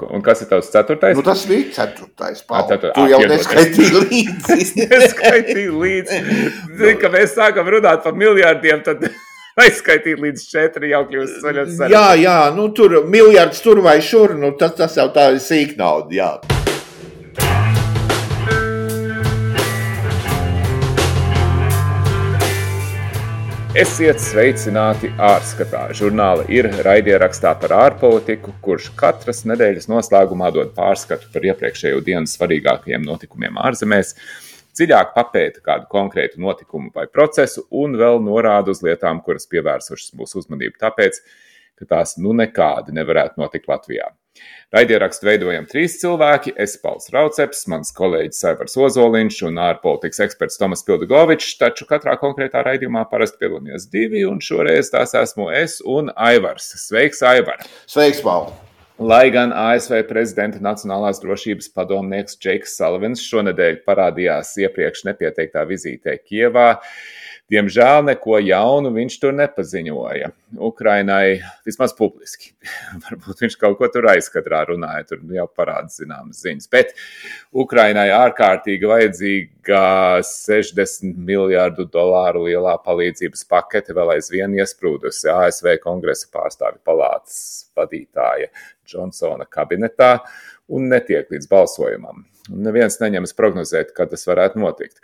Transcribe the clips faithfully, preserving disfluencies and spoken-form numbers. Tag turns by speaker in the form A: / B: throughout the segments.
A: Un kas ir tavs ceturtais?
B: Nu, tas bija ceturtais, Paul.
A: Cetur...
B: Tu jau neskaitīji līdzi.
A: Neskaitīji līdzi. Zini, ka mēs sākam runāt par miljārdiem, tad aizskaitīt līdz četri jau kļūst saļot sarunāt.
B: Jā, jā, nu tur miljards tur vai šur, nu tas, tas jau tā ir sīk nauda, jā.
A: Esiet sveicināti ārskatā. Žurnāla ir raidierakstā par ārpolitiku, kurš katras nedēļas noslēgumā dod pārskatu par iepriekšējo dienu svarīgākajiem notikumiem ārzemēs, dziļāk papēta kādu konkrētu notikumu vai procesu un vēl norāda uz lietām, kuras pievērsušas mūsu uzmanību tāpēc, ka tās nu nekādi nevarētu notikt Latvijā. Raidierakstu veidojam trīs cilvēki, es Pauls Rauceps, mans kolēģis Aivars Ozoliņš un ārpolitikas eksperts Tomas Pildugovičs, taču katrā konkrētā raidījumā parasti piedalāmies divi, un šoreiz tās esmu es un Aivars. Sveiks, Aivar!
B: Sveiks, Paul!
A: Lai gan A S V prezidenta Nacionālās drošības padomnieks Džeiks Salavins šonedēļ parādījās iepriekš nepieteiktā vizītē Kijevā, diemžēl neko jaunu viņš tur nepaziņoja. Ukrainai vismaz publiski. Varbūt viņš kaut ko tur aizkadrā runāja, tur jau parāda zināmas ziņas. Bet Ukrainai ārkārtīgi vajadzīga sešdesmit miljārdu dolāru lielā palīdzības pakete vēl aizvien iesprūdusi A S V kongresa pārstāvju palātas vadītāja Džonsona kabinetā un netiek līdz balsojumam. Un neviens neņemas prognozēt, kad tas varētu notikt.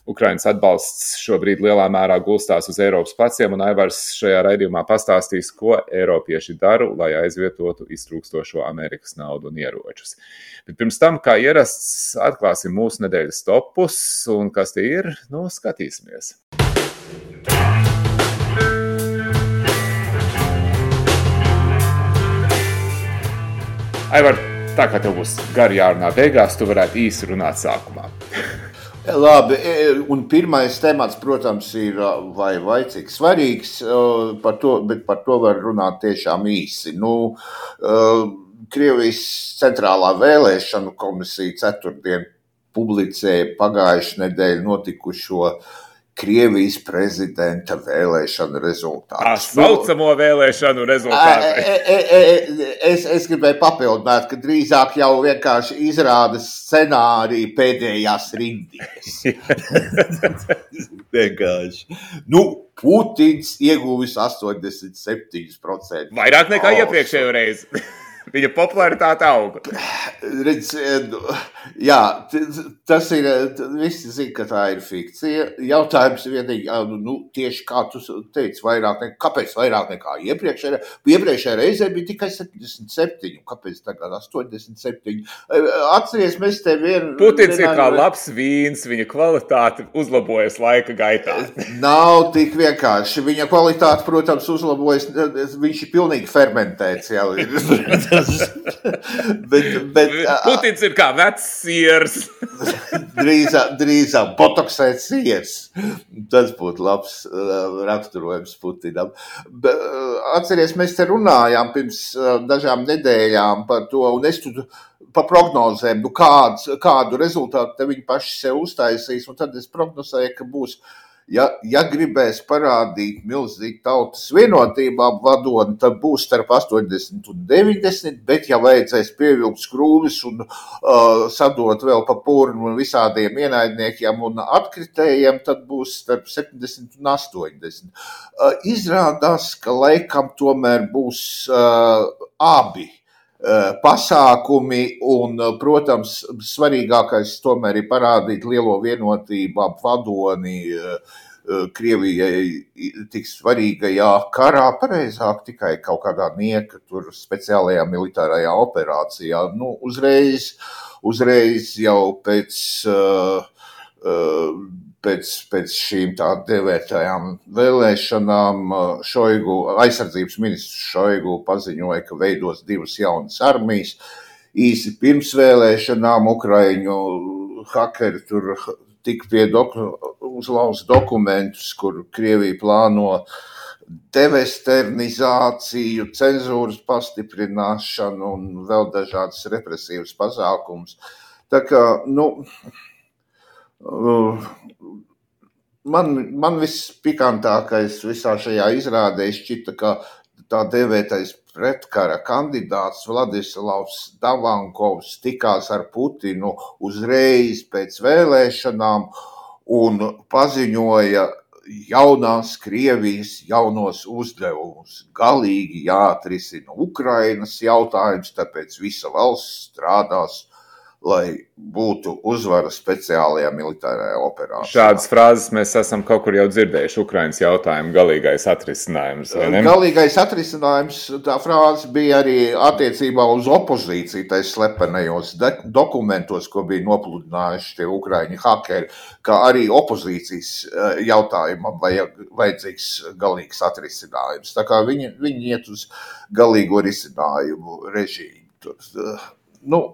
A: Ukrainas atbalsts šobrīd lielā mērā gulstās uz Eiropas pleciem, un Aivars šajā raidījumā pastāstīs, ko eiropieši dara, lai aizvietotu iztrūkstošo Amerikas naudu un ieročus. Bet pirms tam, kā ierasts, atklāsim mūsu nedēļas topus, un kas tie ir, nu, skatīsimies. Aivar, tā kā tev būs gari jārunā beigās, tu varētu īsi runāt sākumā.
B: Labi, un pirmais temats, protams, ir vai, vai cik svarīgs, par to, bet par to var runāt tiešām īsi. Nu, Krievijas centrālā vēlēšanu komisija ceturtdien publicēja pagājušu nedēļu notikušo Krievijas prezidenta vēlēšanu rezultātus.
A: Tā saucamo vēlēšanu rezultātu.
B: E, e, e, es, es gribēju papildināt, ka drīzāk jau vienkārši izrāda scenāriju pēdējās rindīs. Vienkārši. Nu, Putins ieguvis astoņdesmit septiņi procenti.
A: Vairāk nekā oh, iepriekšējo reizi. Viņa popularitāte auga.
B: Redz, jā, tas ir, visi zina, ka tā ir fikcija. Jautājums vienīgi, nu, tieši kā tu teici, vairāk nekā, kāpēc vairāk nekā iepriekšējā? Iepriekšējā reizē bija tikai septiņdesmit septiņi, kāpēc tagad astoņdesmit septiņi? Atceries, mēs te vien...
A: Putins ir kā labs vīns, viņa kvalitāte uzlabojas laika gaitā.
B: Nav tik vienkārši. Viņa kvalitāte, protams, uzlabojas, viņš ir pilnīgi fermentēts jau ir. bet, bet,
A: Putins ir kā vecs siers.
B: drīzāk, drīzāk botoksēts siers. Tas būtu labs uh, raksturojums Putinam. Be, uh, atceries, mēs te runājām pirms uh, dažām nedēļām par to, un es tu par prognozēm, nu kāds, kādu rezultātu te viņi paši sev uztaisīs, un tad es prognozēju, ka būs Ja, ja gribēs parādīt milzīgi tautas vienotībā vadoni, tad būs starp astoņdesmit un deviņdesmit, bet ja vajadzēs pievilkt skrūvis un uh, sadot vēl pa purnu visādiem ienaidniekiem un atkritējiem, tad būs starp septiņdesmit un astoņdesmit. Uh, izrādās, ka laikam tomēr būs uh, abi pasākumi un, protams, svarīgākais tomēr ir parādīt lielo vienotību ap vadoni Krievijai tik svarīgajā karā, pareizāk tikai kaut kādā nieka tur speciālajā militārajā operācijā. Nu, uzreiz, uzreiz jau pēc... Uh, uh, Pēc, pēc šīm tā devētajām vēlēšanām Šoigu, aizsardzības ministrs Šoigu paziņoja, ka veidos divas jaunas armijas. Īsi pirms vēlēšanām Ukraiņu hakeri tur tika pie doku, uzlauz dokumentus, kur Krievija plāno devesternizāciju, cenzūras pastiprināšanu un vēl dažādas represīvas pasākumus. Tā kā, nu... Man, man viss pikantākais visā šajā izrādē šķita, ka tā dēvētais pretkara kandidāts Vladislavs Davankovs tikās ar Putinu uzreiz pēc vēlēšanām un paziņoja jaunās Krievijas jaunos uzdevumus. Galīgi jāatrisina Ukrainas jautājums, tāpēc visa valsts strādās, lai būtu uzvara speciālajā militārajā operācijā.
A: Šādas frāzes mēs esam kaut kur jau dzirdējuši. Ukrainas jautājumu galīgais atrisinājums, vai ne?
B: Galīgais atrisinājums, tā frāze bija arī attiecībā uz opozīciju, tais slepenajos dokumentos, ko bija nopludinājuši tie ukraiņu hakeri, kā arī opozīcijas jautājumam vajadzīgs galīgs atrisinājums. Tā kā viņi, viņi iet uz galīgo risinājumu režīmu. Tur, nu,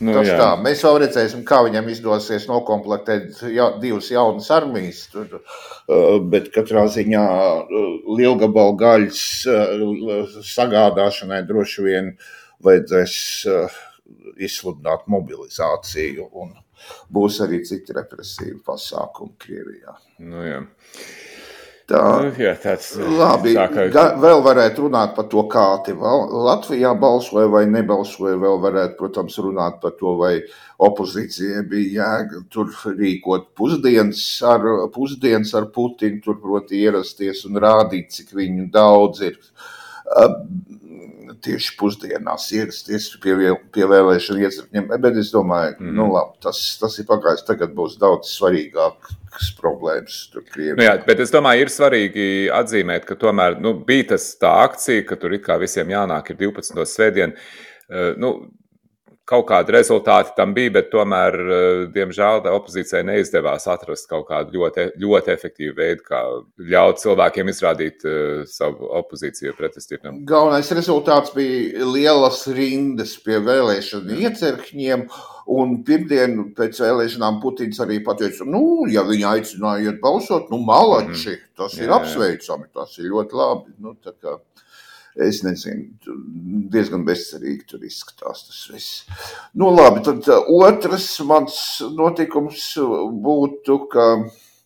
A: Nu,
B: Tas
A: jā.
B: tā, mēs vēl redzēsim, kā viņam izdosies nokomplektēt ja, divas jaunas armijas, tur, bet katrā ziņā lielgabalu gaļas sagādāšanai droši vien vajadzēs izsludināt mobilizāciju un būs arī citi represīvi pasākumi Krievijā.
A: Nu, jā.
B: Tā,
A: Nu, jā, tāds,
B: labi,
A: tā kā...
B: ga, vēl varētu runāt par to, kā te Latvijā balsoja vai nebalsoja, vēl varētu, protams, runāt par to, vai opozīcijai bija jēga tur rīkot pusdienas ar, pusdienas ar Putinu, tur proti ierasties un rādīt, cik viņu daudz ir tieši pusdienās ierasties pie, pie vēlēšana iecirkņiem, bet es domāju, mm. nu labi, tas, tas ir pagājis, tagad būs daudz svarīgāk problēmas tur Krievijā.
A: Nu jā, bet es domāju, ir svarīgi atzīmēt, ka tomēr nu, bija tas tā akcija, ka tur it kā visiem jānāk ir divpadsmito svētdienu. Nu, kaut kādi rezultāti tam bija, bet tomēr, diemžēl, opozīcijai neizdevās atrast kaut kādu ļoti, ļoti efektīvu veidu, kā ļaut cilvēkiem izrādīt uh, savu opozīciju pretestību.
B: Galvenais rezultāts bija lielas rindas pie vēlēšanu iecirkņiem, un pirmdien pēc vēlēšanām Putins arī pateica, nu, ja viņi aicināja iet balsot, nu, malači, tas ir jā, apsveicami, tas ir ļoti labi. Nu, tā kā, es nezinu, diezgan bezcerīgi tur izskatās tas viss. Nu, labi, tad otrs mans notikums būtu, ka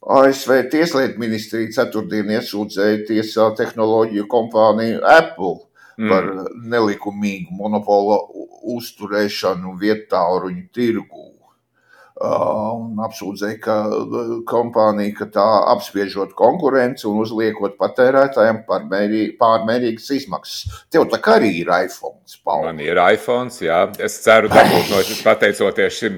B: A S V Tieslietu ministrija ceturtdien iesūdzēja tiesā tehnoloģiju kompāniju Apple mm. par nelikumīgu monopola uzturēšanu vietāluņu tirgū. Uh, un apsūdzēja, ka kompānija, ka tā apspiežot konkurenci un uzliekot patērētājiem pārmērīgas izmaksas. Tev tā kā arī ir iPhones, Paul.
A: Man ir iPhones, jā. Es ceru dabūt no pateicoties šim,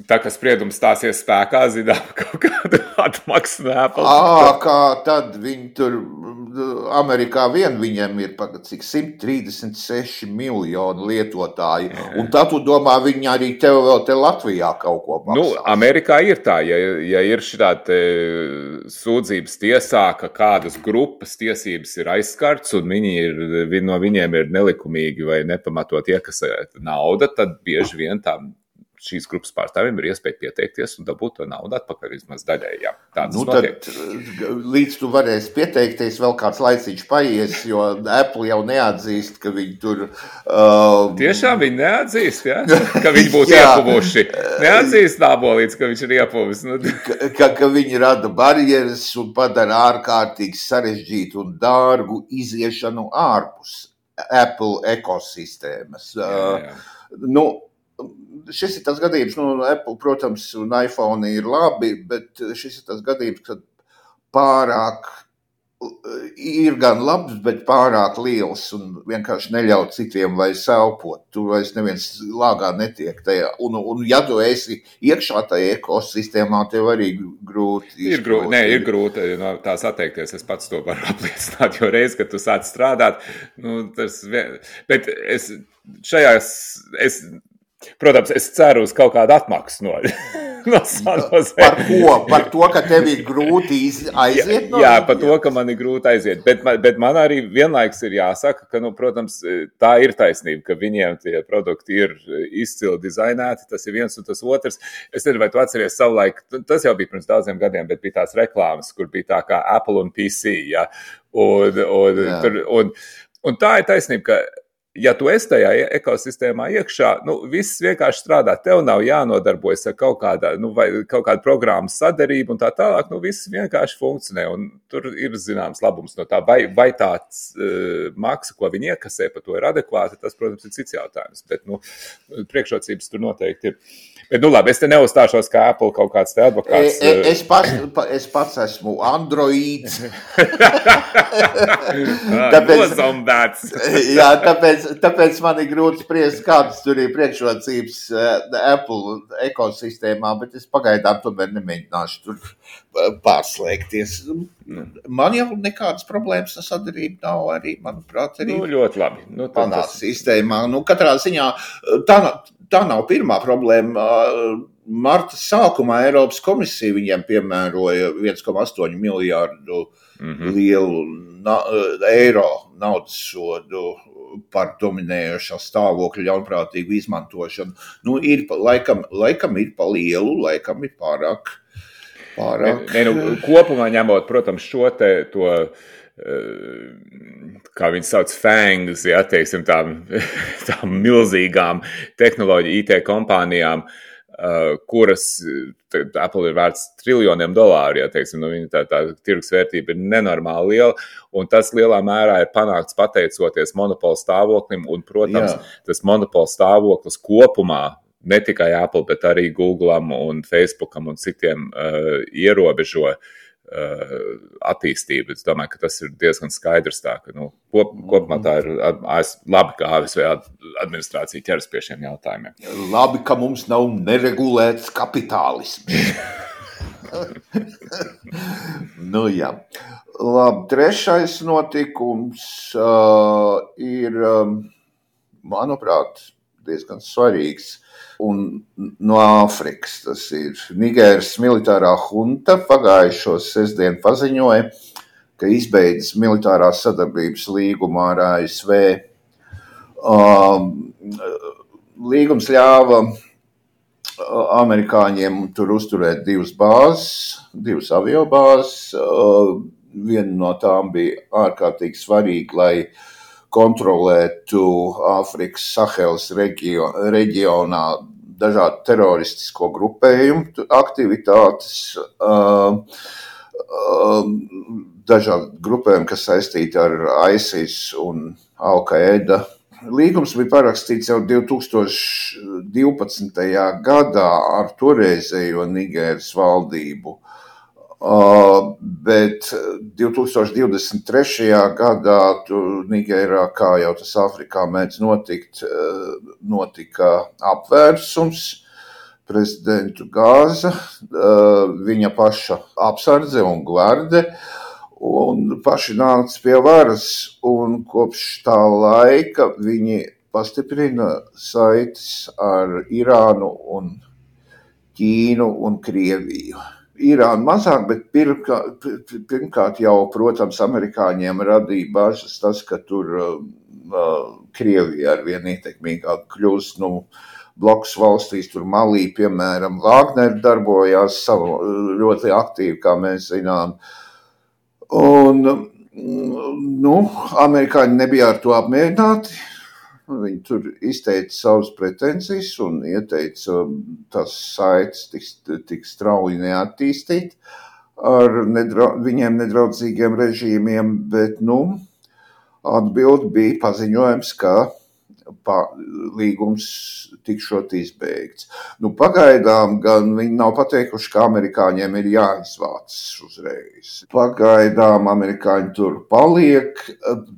A: tā kā spriedums stāsies spēkā, zinām, kaut kādu atmaksu no Apple.
B: Ā, kā tad viņi tur, Amerikā vien viņiem ir cik simt trīsdesmit seši miljoni lietotāji, jā. Un tad tu domā, viņi arī tev vēl te Latvijā kaut ko maksās.
A: Nu, Amerikā ir tā, ja, ja ir šitādi sūdzības tiesā, ka kādas grupas tiesības ir aizskarts un viņi ir, no viņiem ir nelikumīgi vai nepamatot iekasēt nauda, tad bieži vien tā šīs grupas pārstāvjiem ir iespēja pieteikties un dabūt to naudu atpakaļ vismaz daļai. Jā, tāds
B: nu, tad, līdz tu varēsi pieteikties, vēl kāds laicīgs paies, jo Apple jau neatzīst, ka viņi tur... Uh,
A: Tiešām viņi neatzīst, ja? Ka viņi būtu iepuvuši. Neatzīst nābolīts, ka viņš ir iepuvis. Nu.
B: ka, ka viņi rada barjeras un padara ārkārtīgi sarežģītu un dārgu iziešanu ārpus Apple ekosistēmas.
A: Jā, jā.
B: Uh, nu, Šis ir tas gadījums, nu, Apple, protams, un iPhone ir labi, bet šis ir tas gadījums, kad pārāk ir gan labs, bet pārāk liels un vienkārši neļauj citiem vairs elpot. Tu vairs neviens lāgā netiek tajā. Un, un ja tu esi iekšā tajā ekosistēmā, tev arī grūti.
A: Ir grūti, nē, ir grūti no tās atteikties. Es pats to varu apliecināt, jo reiz, kad tu sāc strādāt, nu, tas, bet es šajās, es, protams, es ceru uz kaut kādu atmaksu no, no Sanozē.
B: Par ko? Par to, ka tev ir grūti aiziet no?
A: Jā, jā, par to, ka man ir grūti aiziet. Bet, bet man arī vienlaiks ir jāsaka, ka, nu, protams, tā ir taisnība, ka viņiem tie produkti ir izcili dizainēti. Tas ir viens un tas otrs. Es nezinu, vai tu atceries savulaik, tas jau bija pirms daudziem gadiem, bet bija tās reklāmas, kur bija tā kā Apple un P C. Ja? Un, un, tur, un, un tā ir taisnība, ka ja tu esi tajā ekosistēmā iekšā, nu, viss vienkārši strādā. Tev nav jānodarbojas ar kaut kādā, nu, vai kaut kādu programmas sadarību un tā tālāk. Nu, viss vienkārši funkcionē. Un tur ir zināms labums no tā. Vai, vai tāds uh, maksa, ko viņi iekasē, par to ir adekvāta, tas, protams, ir cits jautājums. Bet, nu, priekšrocības tur noteikti ir. Bet, nu, labi, es te neuzstāšos kā Apple kaut kāds te advokāts.
B: E, e, es, pats, es pats esmu androīds.
A: tāpēc,
B: jā, tāpēc, tāpēc man ir grūti spriest, kādas tur ir priekšrocības uh, Apple ekosistēmā, bet es pagaidām tomēr nemēģināšu tur pārslēgties. Man jau nekādas problēmas ar sadarību nav arī, manuprāt, arī
A: nu, ļoti labi. Nu,
B: manā tas... sistēmā. Nu, katrā ziņā tā, tā nav pirmā problēma. Marta sākumā Eiropas komisija viņiem piemēroja viens komats astoņi miljārdu mm-hmm. lielu na, eiro naudas sodu par dominējošā stāvokļa ļaunprātīgu izmantošanu. Nu, ir, laikam, laikam ir pa lielu, laikam ir pārāk. pārāk.
A: Ne, ne, nu, kopumā ņemot, protams, šo te to, kā viņi sauc, fangs, ja, teiksim, tām, tām milzīgām tehnoloģiju I T kompānijām, kuras Apple ir vērts triljoniem dolāru, ja, teiksim, nu, viņa tā, tā tirgus vērtība ir nenormāli liela, un tas lielā mērā ir panākts pateicoties monopola stāvoklim, un, protams, Jā. tas monopola stāvoklis kopumā, ne tikai Apple, bet arī Googleam un Facebookam un citiem uh, ierobežo uh, attīstību. Es domāju, ka tas ir diezgan skaidrs tā, ka, nu, kop, kopumā tā ir labi, ka A S V administrācija ķeras pie šiem jautājumiem.
B: Labi, ka mums nav neregulēts kapitālisms. nu, jā. Labi, trešais notikums uh, ir, um, manuprāt, diezgan svarīgs. Un no Āfrikas tas ir Nigēras militārā hunta pagājušo sestdienu paziņoja, ka izbeidzas militārās sadarbības līgumu ar A S V. Um, līgums ļāva amerikāņiem tur uzturēt divas bāzes, divas aviobāzes. Uh, viena no tām bija ārkārtīgi svarīga, lai kontrolētu Āfrikas Sahelas reģio, reģionā dažādu teroristisko grupējumu aktivitātes, uh, uh, dažādu grupējumu, kas saistīti ar ISIS un Al-Qaeda. Līgums bija parakstīts jau divi tūkstoši divpadsmitajā gadā ar toreizējo Nigēras valdību. Uh, bet divi tūkstoši divdesmit trešajā gadā Nigērā, kā jau tas Āfrikā mēdz notikt, uh, notika apvērsums, prezidentu gāza, uh, viņa paša apsardze un gvarde, un paši nāca pie varas, un kopš tā laika viņi pastiprina saites ar Irānu un Ķīnu un Krieviju. Irāna mazāk, bet pirmkārt, pirmkārt jau, protams, amerikāņiem radīja bažas tas, ka tur uh, Krievija arvien ietekmīgāk kļūst, nu, blokus valstīs, tur Malī, piemēram, Wagner darbojās savu, ļoti aktīvi, kā mēs zinām. Un, nu, amerikāņi nebija ar to apmierināti. Viņi tur izteica savas pretenzijas un ieteica tās saites tik, tik strauji neattīstīt ar nedra, viņiem nedraudzīgiem režīmiem, bet, nu, atbildi bija paziņojums, ka pa, līgums tikšot izbeigts. Nu, pagaidām gan viņi nav pateikuši, ka amerikāņiem ir jāizvācas uzreiz. Pagaidām amerikāņi tur paliek,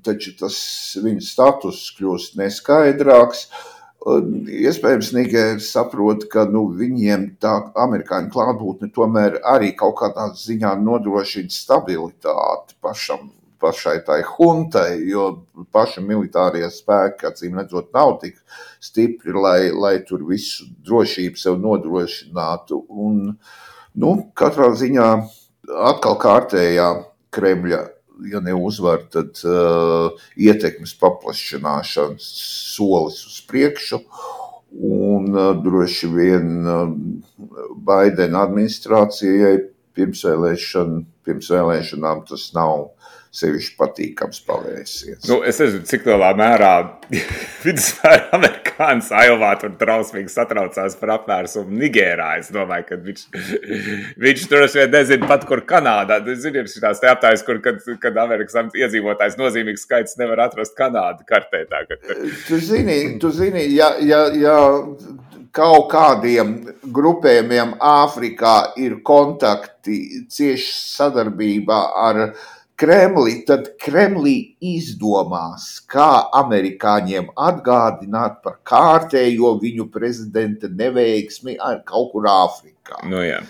B: taču tas viņu status kļūst neskaidrāks. Iespējams, Nigēra saprot, ka nu, viņiem tā amerikāņu klātbūtne tomēr arī kaut kādā ziņā nodrošina stabilitāti pašam. pašai tai huntai, jo paši militārie spēki, acīm redzot, nav tik stipri, lai, lai tur visu drošību sev nodrošinātu. Un, nu, katrā ziņā atkal kārtējā Kremļa, ja neuzvar, tad uh, ietekmes paplašināšanas solis uz priekšu. Un uh, droši vien uh, Baidena administrācijai pirmsvēlēšana, pirms vēlēšanām tas nav sevišķi patīkams pavērsiens.
A: Nu, es nezinu, cik lielā mērā vidusmēra amerikānis Ailvā tur trausmīgi satraucās par apvērsumu Nigērā. Es domāju, ka viņš, viņš tur šeit nezinu pat, kur Kanādā. Zini, ir šitās te aptājas, kur, kad, kad Amerikas iedzīvotājs nozīmīgs skaits nevar atrast Kanādu kartē. Tā, ka...
B: Tu zini, tu zini, ja, ja, ja kaut kādiem grupējumiem Āfrikā ir kontakti, cieši sadarbībā ar Kremli, tad Kremlī izdomās, kā amerikāņiem atgādināt par kārtējo viņu prezidenta neveiksmi kaut kur Āfrikā.
A: Nu jā.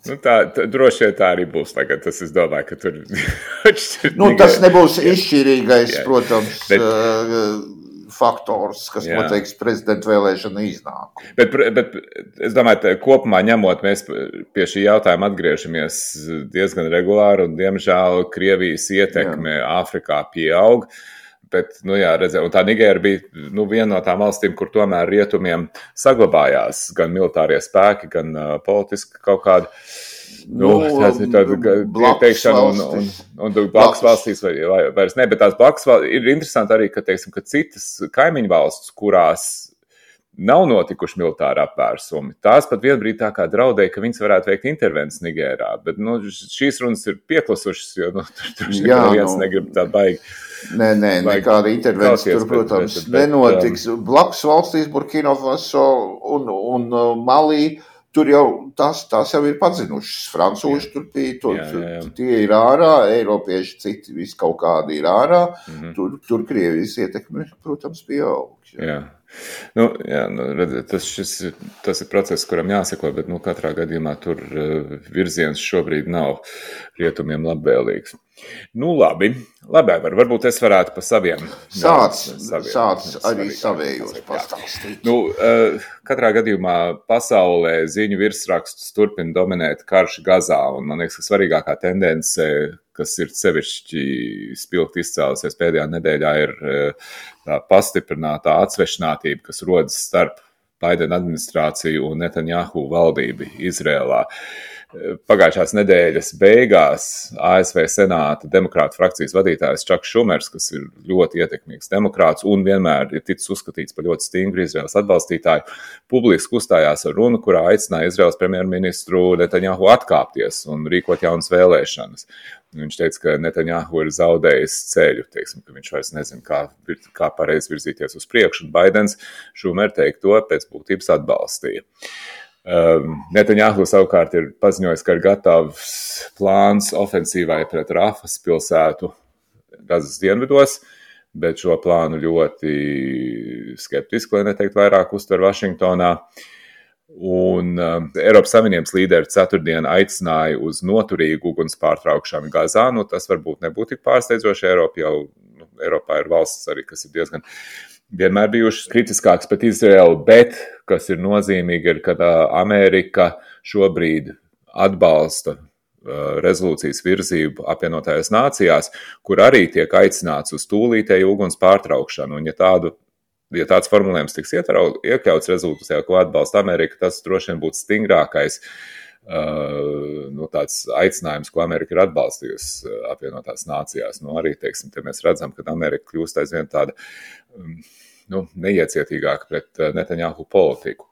A: Nu tā, tā, droši vien tā arī būs tagad. Tas es domāju, ka tur...
B: nu, tas nebūs izšķirīgais, jā. Protams, Bet... uh, faktors, kas jā. Noteiks prezidenta vēlēšana iznākumu.
A: Bet, bet es domāju, ka kopumā ņemot, mēs pie šī jautājuma atgriežamies diezgan regulāri, un diemžēl Krievijas ietekme jā. Āfrikā pieaug. Bet, nu jā, redzē, un tā Nigēra bija nu, viena no tām valstīm, kur tomēr rietumiem saglabājās gan militārie spēki, gan uh, politiski kaut kāda Nu, tas ir tāda teikšana, un, un, un, un blakus valstīs vai, vai, vairs ne, bet tās blakus valstīs ir interesanti arī, ka, teiksim, ka citas kaimiņu valstis, kurās nav notikuši militāri apvērsumi, tās pat vienbrīd tā kā draudēja, ka viņas varētu veikt intervences Nigērā, bet nu, šīs runas ir pieklusušas, jo nu, tur, tur Jā, neviens nu, negrib tā baigi.
B: Nē, nē, nekāda intervences tur, protams, bet, bet, nenotiks. Um, blakus valstīs Burkina Faso un, un uh, Malī, tur jau tās, tās jau ir pazinušas. Francūži tur tie, tur, jā, jā, jā. tie ir ārā, eiropieši citi vis kaut kādi ir ārā. Mm-hmm. Tur, tur Krievijas ietekme, protams, pieaug.
A: Jā. Jā. Nu, jā, nu, redziet, tas, šis, tas ir process, kuram jāseko, bet nu, katrā gadījumā tur uh, virziens šobrīd nav rietumiem labvēlīgs. Nu, labi, labi, var, varbūt es varētu pa saviem.
B: Sāc, saviem, sāc arī savējos pastāstīt.
A: Nu, uh, katrā gadījumā pasaulē ziņu virsrakstus turpina dominēt karš Gazā, un man liekas, ka svarīgākā tendence, kas ir sevišķi spilgti izcēlusies pēdējā nedēļā, ir uh, tā pastiprinātā atsvešinātība, kas rodas starp Baidena administrāciju un Netanjahu valdību Izrēlā. Pagājušās nedēļas beigās A S V Senāta demokrātu frakcijas vadītājs Čaks Šumers, kas ir ļoti ietekmīgs demokrāts un vienmēr ir ticis uzskatīts par ļoti stingru Izraēlas atbalstītāju, publiski uzstājās ar runu, kurā aicināja Izraēlas premjerministru Netanjahu atkāpties un rīkot jaunas vēlēšanas. Viņš teica, ka Netanjahu ir zaudējis ceļu, teiksim, ka viņš vairs nezina, kā, kā pareizi virzīties uz priekšu, un Baidens Šumer teikto pēc būtības atbalstīja. Um, Netanjahu savukārt ir paziņojis, ka ir gatavs plāns ofensīvai pret Rafas pilsētu Gazas dienvidos, bet šo plānu ļoti skeptiski, lai neteikt vairāk, uztver Vašingtonā. Un um, Eiropas Savienības līderi ceturtdien aicināja uz noturīgu uguns pārtraukšanu Gazā. Nu, tas varbūt nebūtu tik pārsteidzoši. Eiropa jau, nu, Eiropā ir valsts arī, kas ir diezgan vienmēr bijušas kritiskākas pret Izraelu, bet, kas ir nozīmīgi, ir, ka Amerika šobrīd atbalsta uh, rezolūcijas virzību apvienotajās nācijās, kur arī tiek aicināts uz tūlītēju uguns pārtraukšanu. Un ja tādu Ja tāds formulējums tiks iekļauts rezolūcijā, ko atbalsta Amerika, tas droši vien būtu stingrākais uh, nu, tāds aicinājums, ko Amerika ir atbalstījusi apvienotās nācijās. Nu, arī, teiksim, te mēs redzam, ka Amerika kļūst aizvien tāda um, nu, neiecietīgāka pret uh, Netanjahu politiku.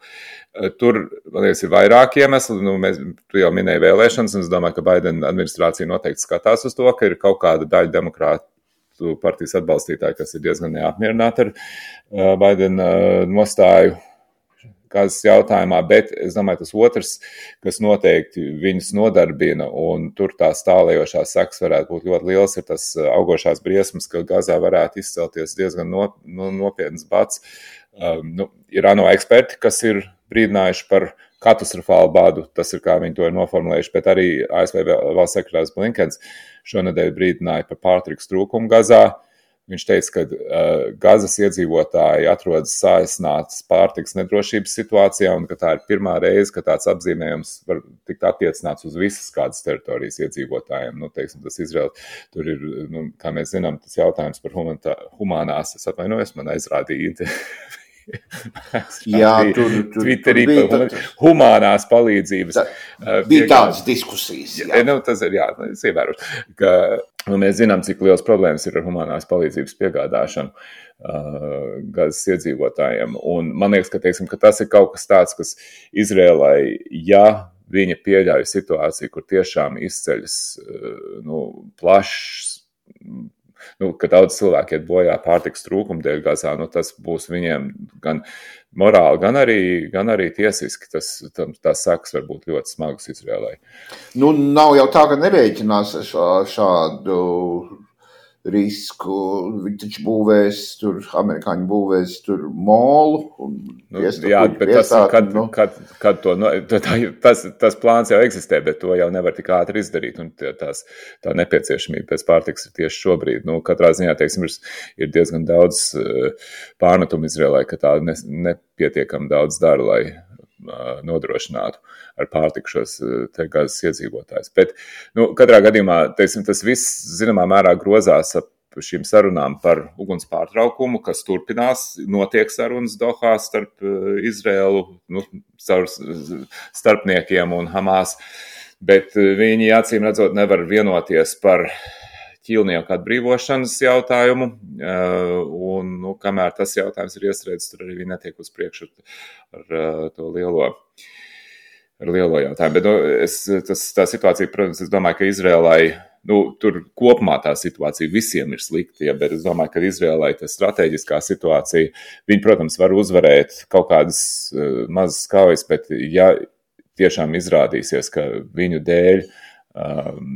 A: Uh, tur, man liekas, ir vairāk iemesli. Nu, mēs, tu jau minēji vēlēšanas, un es domāju, ka Baidena administrācija noteikti skatās uz to, ka ir kaut kāda daļa demokrāta partijas atbalstītāji, kas ir diezgan neapmierināti ar uh, Baidena uh, nostāju Gazas jautājumā, bet es domāju, tas otrs, kas noteikti viņus nodarbina, un tur tās tālējošās sekas varētu būt ļoti liels, ir tas augošās briesmas, ka Gazā varētu izcelties diezgan no, no, nopietnas bats. Um, nu, ir ANO eksperti, kas ir brīdinājuši par katastrofālu badu, tas ir kā viņi to ir noformulējuši, bet arī A S V valsts sekretārs Blinkens šonedēļ brīdināja par pārtikas trūkumu Gazā. Viņš teica, ka uh, Gazas iedzīvotāji atrodas saīsinātas pārtikas nedrošības situācijā un ka tā ir pirmā reize, ka tāds apzīmējums var tikt attiecināts uz visas kādas teritorijas iedzīvotājiem. Nu, teiksim, tas Izraela, tur ir, nu, kā mēs zinām, tas jautājums par humanitā, humanās, es atvainojos, man aizrādīja
B: Jā, tur, tur,
A: Twitterī
B: tur bija
A: par
B: tā,
A: humānās palīdzības.
B: Tā, bija tādas diskusijas.
A: Jā, nu, tas ir, jā, es ievērošu, ka nu, mēs zinām, cik liels problēmas ir ar humānās palīdzības piegādāšanu uh, Gazas iedzīvotājiem. Un man liekas, ka, teiksim, ka tas ir kaut kas tāds, kas Izrēlai, ja viņa pieļauj situāciju, kur tiešām izceļas uh, nu, plašs, nu, ka daudz cilvēki iet bojā pārtikas trūkuma dēļ Gazā, nu, tas būs viņiem gan morāli, gan arī, gan arī tiesiski. Tas, tās sekas var būt ļoti smagas Izrēlai.
B: Nu, nav jau tā, ka nerēķinās šā, šādu risku. Viņi taču būvēs tur, amerikāņi būvēs tur molu. Un
A: nu, jā, bet tas, kad, nu. kad, kad to, no, tas, tas plāns jau eksistē, bet to jau nevar tik ātri izdarīt. Un tās, tā nepieciešamība pēc pārtikas ir tieši šobrīd. Nu, katrā ziņā, teiksim, ir, ir diezgan daudz pārmetumu Izrēlai, ka tā ne, nepietiekami daudz dara, lai uh, nodrošinātu ar pārtiku šos te Gazas iedzīvotājus. Bet, nu, katrā gadījumā, teiksim, tas viss, zināmā mērā, grozās ap šīm sarunām par uguns pārtraukumu, kas turpinās, notiek sarunas Dohā starp Izrēlu, nu, starpniekiem un Hamas, bet viņi, acīm redzot, nevar vienoties par ķīlnieku atbrīvošanas jautājumu, un, nu, kamēr tas jautājums ir iestrēdzis, tur arī viņi netiek uz priekšu ar, ar to lielo ar lielo jautājumu. Bet, nu, es, tas, tā situācija, protams, es domāju, ka Izrēlai, nu, tur kopumā tā situācija visiem ir slikta, ja, bet es domāju, ka Izrēlai tā strateģiskā situācija, viņi, protams, var uzvarēt kaut kādas uh, mazas kaujas, bet ja tiešām izrādīsies, ka viņu dēļ um,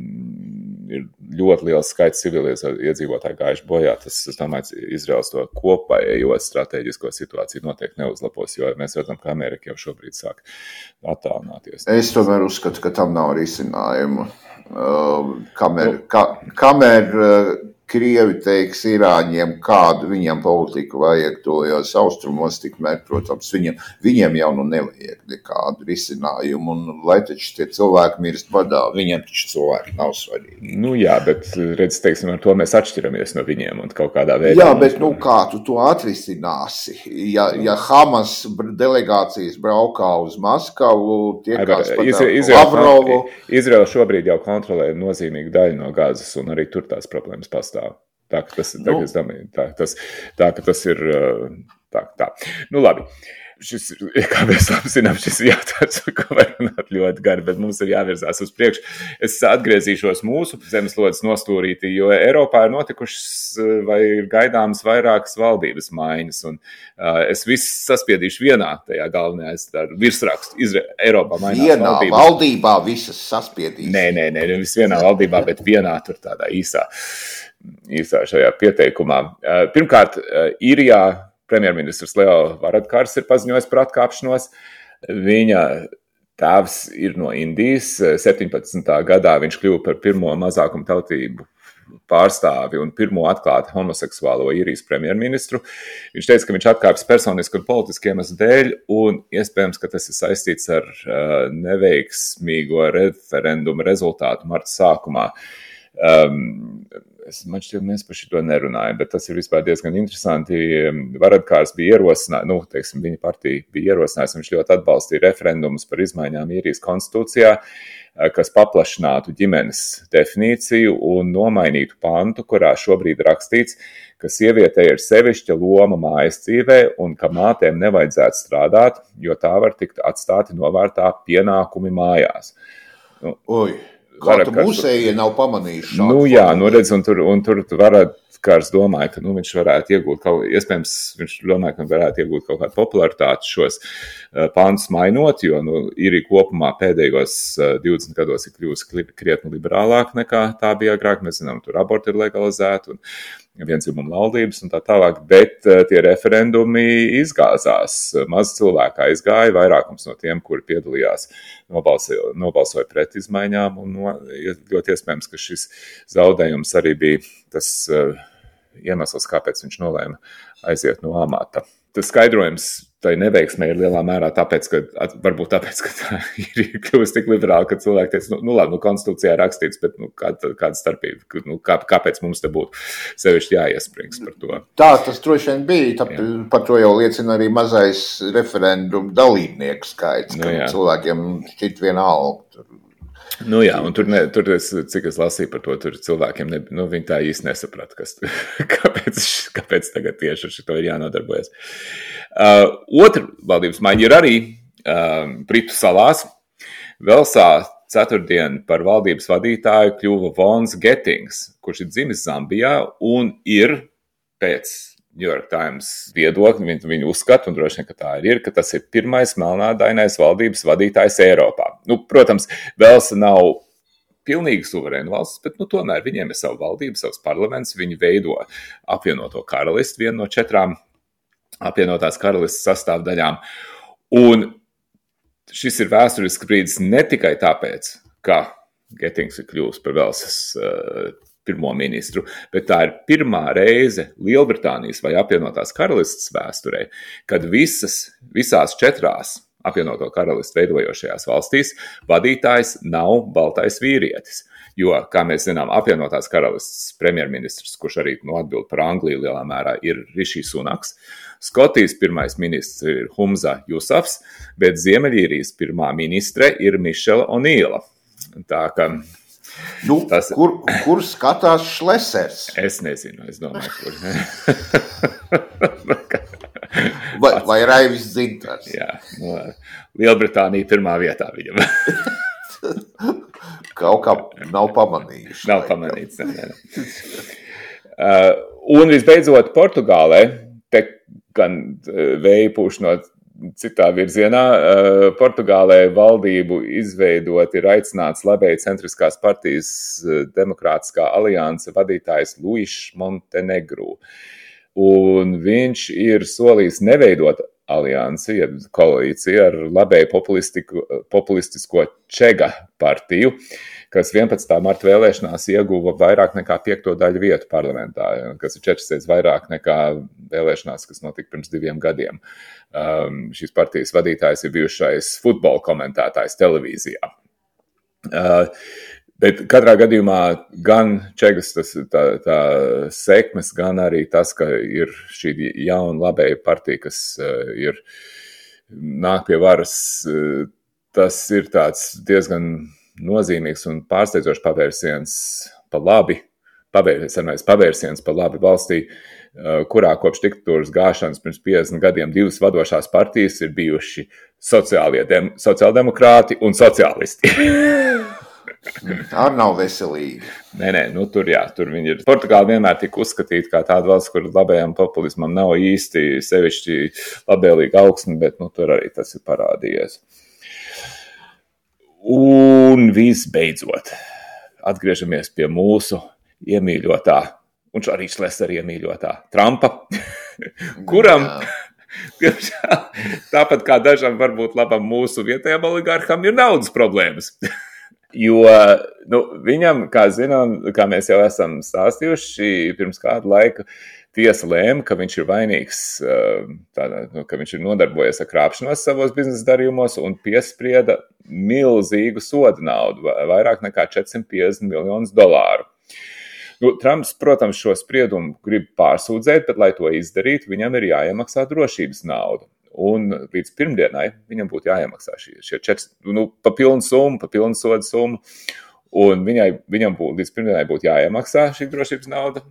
A: ir ļoti liels skaits civilies iedzīvotāji gājuši bojā, tas, es domāju, Izraels to kopējo strateģisko situāciju noteikti neuzlabos, jo mēs redzam, ka Amerika jau šobrīd sāk attālināties.
B: Es tomēr uzskatu, ka tam nav risinājumu. Uh, kamēr, ka, kamēr uh, Krievi teiks Irāņiem, kādu viņam politiku vajag tojos austrumos, tikmēr, protams, viņiem, viņiem jau nu nevajag nekādu risinājumu, un lai taču tie cilvēki mirst badā, viņiem taču cilvēki nav svarīgi.
A: Nu jā, bet, redz, teiksim, ar to mēs atšķiramies no viņiem un kaut kādā veidā.
B: Jā, bet, nu, kā tu to atrisināsi? Ja, ja Hamas delegācijas braukā uz Maskavu, tiekās pat ar Lavrovu.
A: Izraela šobrīd jau kontrolē nozīmīgu daļu no Gazas, un arī tur tās problēmas pastāv. Tā, ka tas, tā, nu. domāju, tā, tas, tā, ka tas ir tā, tā. Nu, labi. Šis, kā mēs labi zinām, šis ir jautājums, ko var runāt ļoti gari, bet mums ir jāvirzās uz priekšu. Es atgriezīšos mūsu zemeslodes nostūrītī, jo Eiropā ir notikušas vai ir gaidāmas vairākas valdības maiņas, un uh, es viss saspiedīšu vienā tajā galvenajā, es tā virsrakstu, Izra- Eiropā mainās
B: vienā
A: valdības.
B: Vienā valdībā visas saspiedīs.
A: Nē, nē, nē, nevis vienā valdībā, bet vienā tur tādā īsā, īsā šajā pieteikumā. Uh, pirmkārt, uh, Īrijā premjerministrs Leo Varadkars ir paziņojis par atkāpšanos. Viņa tēvs ir no Indijas. septiņpadsmitā gadā viņš kļuva par pirmo mazākumu tautību pārstāvi un pirmo atklāti homoseksuālo Īrijas premjerministru. Viņš teica, ka viņš atkāpjas personiski un politiski iemeslu dēļ, un iespējams, ka tas ir saistīts ar uh, neveiksmīgo referendumu rezultātu marta sākumā. Um, Es, man šķiet, mēs par šito nerunājam, bet tas ir vispār diezgan interesanti. Varadkars bija ierosinājis, nu, teiksim, viņa partija bija ierosinājusi, viņš ļoti atbalstīja referendumus par izmaiņām Īrijas konstitūcijā, kas paplašinātu ģimenes definīciju un nomainītu pantu, kurā šobrīd rakstīts, ka sievietei ir sevišķa loma mājas dzīvē un ka mātēm nevajadzētu strādāt, jo tā var tikt atstāti novārtā pienākumi mājās. Nu,
B: Oi. Kā tu mūsējie nav pamanījuši šādu?
A: Nu jā, nu redz, un tur, un tur Varadkars domāja, ka nu, viņš varētu iegūt kaut, iespējams, viņš domāja, ka varētu iegūt kaut kādu popularitāti šos uh, pantus mainot, jo nu, Īrija kopumā pēdējos uh, divdesmit gados ir kļūst krietni liberālāk nekā tā bija agrāk. Mēs zinām, tur aborti ir legalizēti un viendzimuma laulības un tā tālāk, bet uh, tie referendumi izgāzās. Maz cilvēku aizgāja, vairākums no tiem, kuri piedalījās, nobalsoja, nobalsoja pret izmaiņām, un no, ļoti iespējams, ka šis zaudējums arī bija tas uh, iemesls, kāpēc viņš nolēma aiziet no amata. tas skaidrojums tai neveiksmē ir lielā mērā tāpēc, ka varbūt tāpēc, ka tā ir kļuvusi tik liberāla, ka cilvēki teica, nu, nu labi, nu konstitūcijā rakstīts, bet nu, kāda, kāda starpība, nu, kā, kāpēc mums te būtu sevišķi jāiesprings par to.
B: Tā tas droši vien bija, tā, par to jau liecina arī mazais referendumu dalībnieku skaits, ka nu, cilvēkiem šķiet vienalga.
A: Nu jā, un tur, ne, tur es, cik es lasīju par to, tur cilvēkiem, ne, nu, viņi tā īsti nesaprata, kas, kāpēc, kāpēc tagad tieši ar šito ir jānodarbojas. Uh, otra valdības maiņa ir arī uh, Britu salās. Velsā ceturtdien par valdības vadītāju kļuva Vons Gettings, kurš ir dzimis Zambijā un ir pēc New York Times viedokļi, viņu, viņu uzskata, un droši vien, ka tā ir, ka tas ir pirmais melnādainais valdības vadītājs Eiropā. Nu, protams, Velsa nav pilnīgi suverēna valsts, bet nu, tomēr viņiem ir savu valdību, savs parlaments, viņi veido apvienoto karalisti, vienu no četrām apvienotās karalistas sastāvdaļām. Un šis ir vēsturisks brīdis ne tikai tāpēc, ka Gettings ir kļuvis par Velsas uh, pirmo ministru, bet tā ir pirmā reize Lielbritānijas vai apvienotās karalistas vēsturē, kad visas, visās četrās apvienoto karalistu veidojošajās valstīs vadītājs nav baltais vīrietis. Jo, kā mēs zinām, apvienotās karalistas premjerministrs, kurš arī nu, atbild par Angliju lielā mērā, ir Rishi Sunaks. Skotijas pirmais ministrs ir Humza Jusafs, bet Ziemeļīrijas pirmā ministre ir Mišela O'Neila. Tā ka
B: Nu, tas, kur, kur skatās Šlesers?
A: Es nezinu, es domāju, kur.
B: vai, vai Raivis Dzintars?
A: Jā, nu, Lielbritānija pirmā vietā viņam.
B: Kaut kā nav pamanījuši.
A: Nav pamanīts, ne, ne. Uh, un visbeidzot Portugālē, te gan vēja pūš no citā virzienā, Portugālē valdību izveidot ir aicināts labēji centriskās partijas Demokrātiskā alianse vadītājs Luis Montenegro. Un viņš ir solījis neveidot aliansi, ja koalīciju ar labēji populistisko Čega partiju, kas vienpadsmitā marta vēlēšanās ieguva vairāk nekā piekto daļu vietu parlamentā, kas ir četras reizes vairāk nekā vēlēšanās, kas notika pirms diviem gadiem. Um, šīs partijas vadītājs ir bijušais futbola komentētājs televīzijā. Uh, bet katrā gadījumā gan Čegas tas, tā, tā sekmes, gan arī tas, ka ir šī jauna labēja partija, kas uh, ir nāk pie varas, uh, tas ir tāds diezgan nozīmīgs un pārsteidzošs pavērsiens pa labi, pavērsiens, pavērsiens pa labi valstī, kurā kopš diktatūras gāšanas pirms piecdesmit gadiem divas vadošās partijas ir bijuši dem, sociāldemokrāti un sociālisti.
B: Ar nav veselīgi.
A: Nē, nē, nu tur jā, tur viņi ir. Portugāla vienmēr tika uzskatīta kā tāda valsts, kur labējām populismam nav īsti sevišķi labēlīga augsme, bet nu tur arī tas ir parādījies. Un visbeidzot, atgriežamies pie mūsu iemīļotā, un arī Šlesera iemīļotā Trumpa, kuram, diemžēl, tāpat kā dažam varbūt labam mūsu vietējam oligarham, ir naudas problēmas. Jo nu, viņam, kā zinām, kā mēs jau esam stāstījuši, pirms kādu laiku tiesa lēma, ka viņš ir vainīgs, tādā, nu, ka viņš ir nodarbojies ar krāpšanos savos biznesa darījumos un piesprieda milzīgu soda naudu, vairāk nekā četrsimt piecdesmit miljonus dolāru. Nu, Trumps, protams, šo spriedumu grib pārsūdzēt, bet, lai to izdarītu, viņam ir jāiemaksā drošības naudu. Un līdz pirmdienai viņam būtu jāiemaksā šie, šie četri, nu, pa pilnu summu, pa pilnu soda summu, un viņai, viņam būtu, līdz pirmdienai būtu jāiemaksā šī drošības nauda,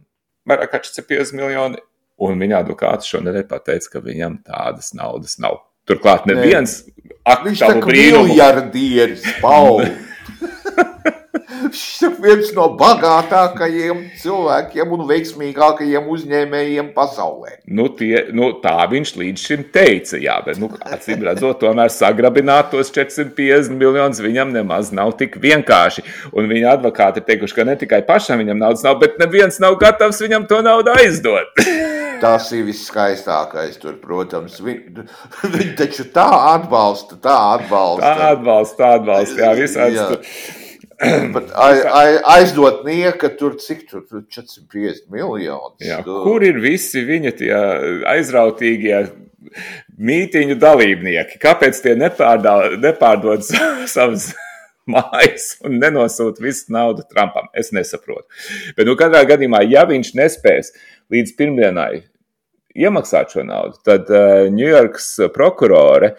A: vairāk kā četrsimt piecdesmit miljoni, un viņa advokāts šonedēļ pateica, ka viņam tādas naudas nav. Turklāt neviens aktavu brīnumu.
B: Viņš tā kā miljardieris, Paul. Viņš ir viens no bagātākajiem cilvēkiem un veiksmīgākajiem uzņēmējiem pasaulē.
A: Nu, tie, nu, tā viņš līdz šim teica, jā, bet, nu, acīm redzot, tomēr sagrabināt tos četrsimt piecdesmit miljonus viņam nemaz nav tik vienkārši. Un viņa advokāti ir teikuši, ka ne tikai pašam viņam naudas nav, bet neviens nav gatavs viņam to naudu aizdot.
B: Tas ir viskaistākais tur, protams. Viņi, viņi taču tā atbalsta, tā atbalsta.
A: Tā atbalsta, tā atbalsta, jā, visāds
B: jā.
A: Tur.
B: Bet aizdot nieka tur, cik tur, četrsimt piecdesmit miljonus.
A: Jā, kur ir visi viņa tie aizrautīgie mītīņu dalībnieki, kāpēc tie nepārdod, nepārdod savas mājas un nenosūta visu naudu Trumpam? Es nesaprotu. Bet, nu, katrā gadījumā, ja viņš nespēs līdz pirmdienai iemaksāt šo naudu, tad uh, Ņujorkas prokurore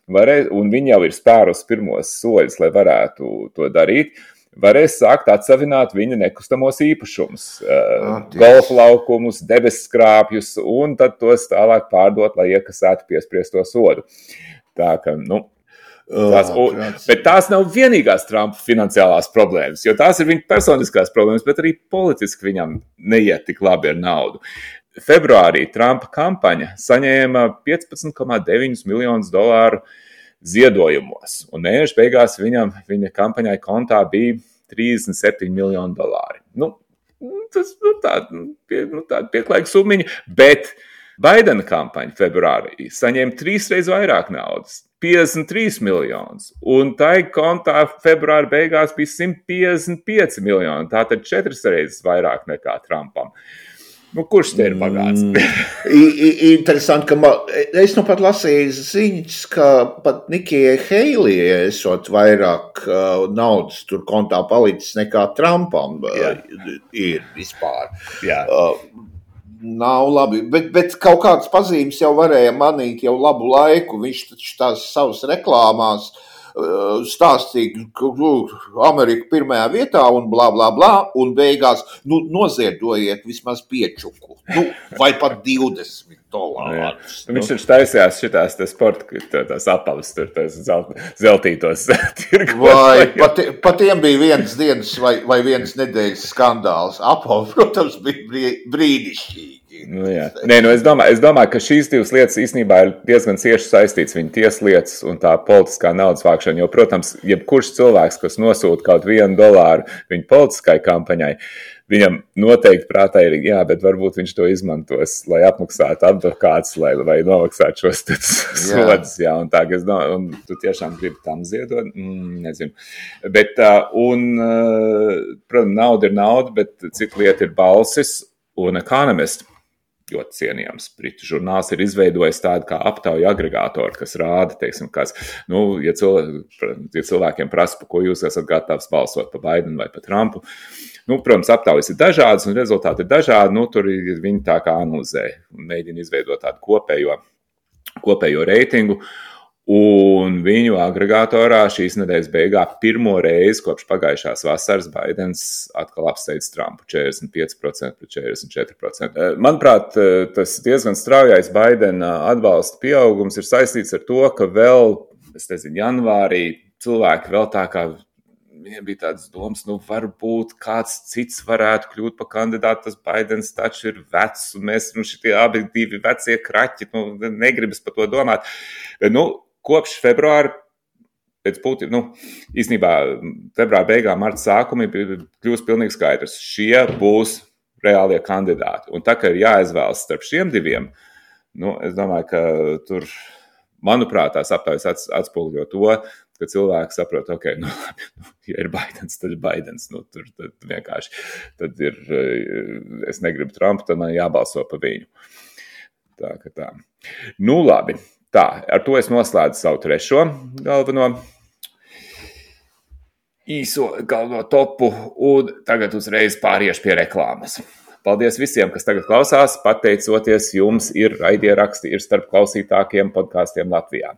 A: varēs, un viņi jau ir spērus pirmos soļus, lai varētu to darīt, varēs sākt atsavināt viņa nekustamos īpašumus, uh, golfa laukumus, debesskrāpjus, un tad tos tālāk pārdot, lai iekasētu piespriesto sodu. Tā ka, nu, tās, un, bet tās nav vienīgās Trumpa finansiālās problēmas, jo tās ir viņa personiskās problēmas, bet arī politiski viņam neiet tik labi ar naudu. Februārī Trumpa kampaņa saņēma piecpadsmit komats deviņi miljonus dolāru ziedojumos, un mēneša beigās viņam, viņa kampaņai kontā bija trīsdesmit septiņi miljoni dolāri. Nu, tas nu, tāda pie, nu, tāda pieklājīga summiņa, bet Baidena kampaņa februārī saņēma trīsreiz vairāk naudas, piecdesmit trīs miljonus, un tai kontā februāra beigās bija simt piecdesmit pieci miljoni, tātad četras reizes vairāk nekā Trumpam. Nu, kurš te ir bagāts?
B: Mm, interesanti, ka man, es nu pat lasīju ziņas, ka pat Nikijai Heilijai esot vairāk uh, naudas tur kontā palicis nekā Trumpam uh, ir vispār.
A: Jā.
B: Uh, nav labi, bet, bet kaut kādas pazīmes jau varēja manīt jau labu laiku. Viņš taču tās savas reklāmās stāstīja, ka Amerika pirmajā vietā un blā, blā, blā, un beigās, nu, noziedojiet vismaz piečuku, nu, vai pat divdesmit dolārus.
A: Nu, viņš taču taisījās šitās te sporta, tās apalas, tur tās zeltītos tirgos.
B: Vai pat, pat tiem bija vienas dienas vai, vai vienas nedēļas skandāls. Apava, protams, bija brīnišķīgi.
A: Nu, jā. Nē, nu, es, domāju, es domāju, ka šīs divas lietas īstenībā ir diezgan cieši saistītas, viņa tieslietas un tā politiskā naudas vākšana, jo, protams, jebkurš cilvēks, kas nosūta kaut vienu dolāru viņa politiskai kampaņai, viņam noteikti prātā ir, jā, bet varbūt viņš to izmantos, lai apmaksātu advokātus, lai, lai nomaksātu šos sodus, jā, un tā, es domāju, un tu tiešām gribi tam ziedot, mm, nezinu. Bet, un, protams, nauda ir nauda, bet cik lieta ir balsis, un Economist, ļoti cienījams britu žurnāls, ir izveidojis tādu kā aptauju agregātoru, kas rāda, teiksim, kas, nu, ja, cilvē, ja cilvēkiem prasa, pa ko jūs esat gatavs balsot, pa Baidenu vai pa Trumpu, nu, protams, aptaujas ir dažādas un rezultāti ir dažādi, nu, tur viņi tā kā analizē un mēģina izveidot tādu kopējo, kopējo reitingu. Un viņu agregātorā šīs nedēļas beigā pirmo reizi kopš pagājušās vasaras Baidens atkal apsteidz Trumpu četrdesmit pieci procenti pret četrdesmit četri procenti. Manuprāt, tas diezgan straujais Baidena atbalsta pieaugums ir saistīts ar to, ka vēl, es nezinu, janvārī cilvēki vēl tā kā, viņiem bija tādas domas, nu varbūt kāds cits varētu kļūt par kandidātu, tas Baidens taču ir vecs, un mēs, nu, šitie abi divi vecie kraķi, nu, negribas par to domāt. Nu, kopš februāra, pēc būtībā, nu, īstenībā februāra beigām, marta sākumi kļūst pilnīgi skaidrs. Šie būs reālie kandidāti. Un tā, ka ir jāizvēlas starp šiem diviem, nu, es domāju, ka tur, manuprāt, tās aptaujas atspoguļo to, ka cilvēki saprot, ok, nu, ja ir Baidens, tad ir Baidens. Nu, tur tad vienkārši, tad ir, es negribu Trumpu, tad man jābalso pa viņu. Tā, ka tā. Nu, labi. Tā, ar to es noslēdzu savu trešo galveno īso galveno topu, un tagad uzreiz pāriešu pie reklāmas. Paldies visiem, kas tagad klausās, pateicoties jums ir raidieraksti, ir starp klausītākiem podkāstiem Latvijā.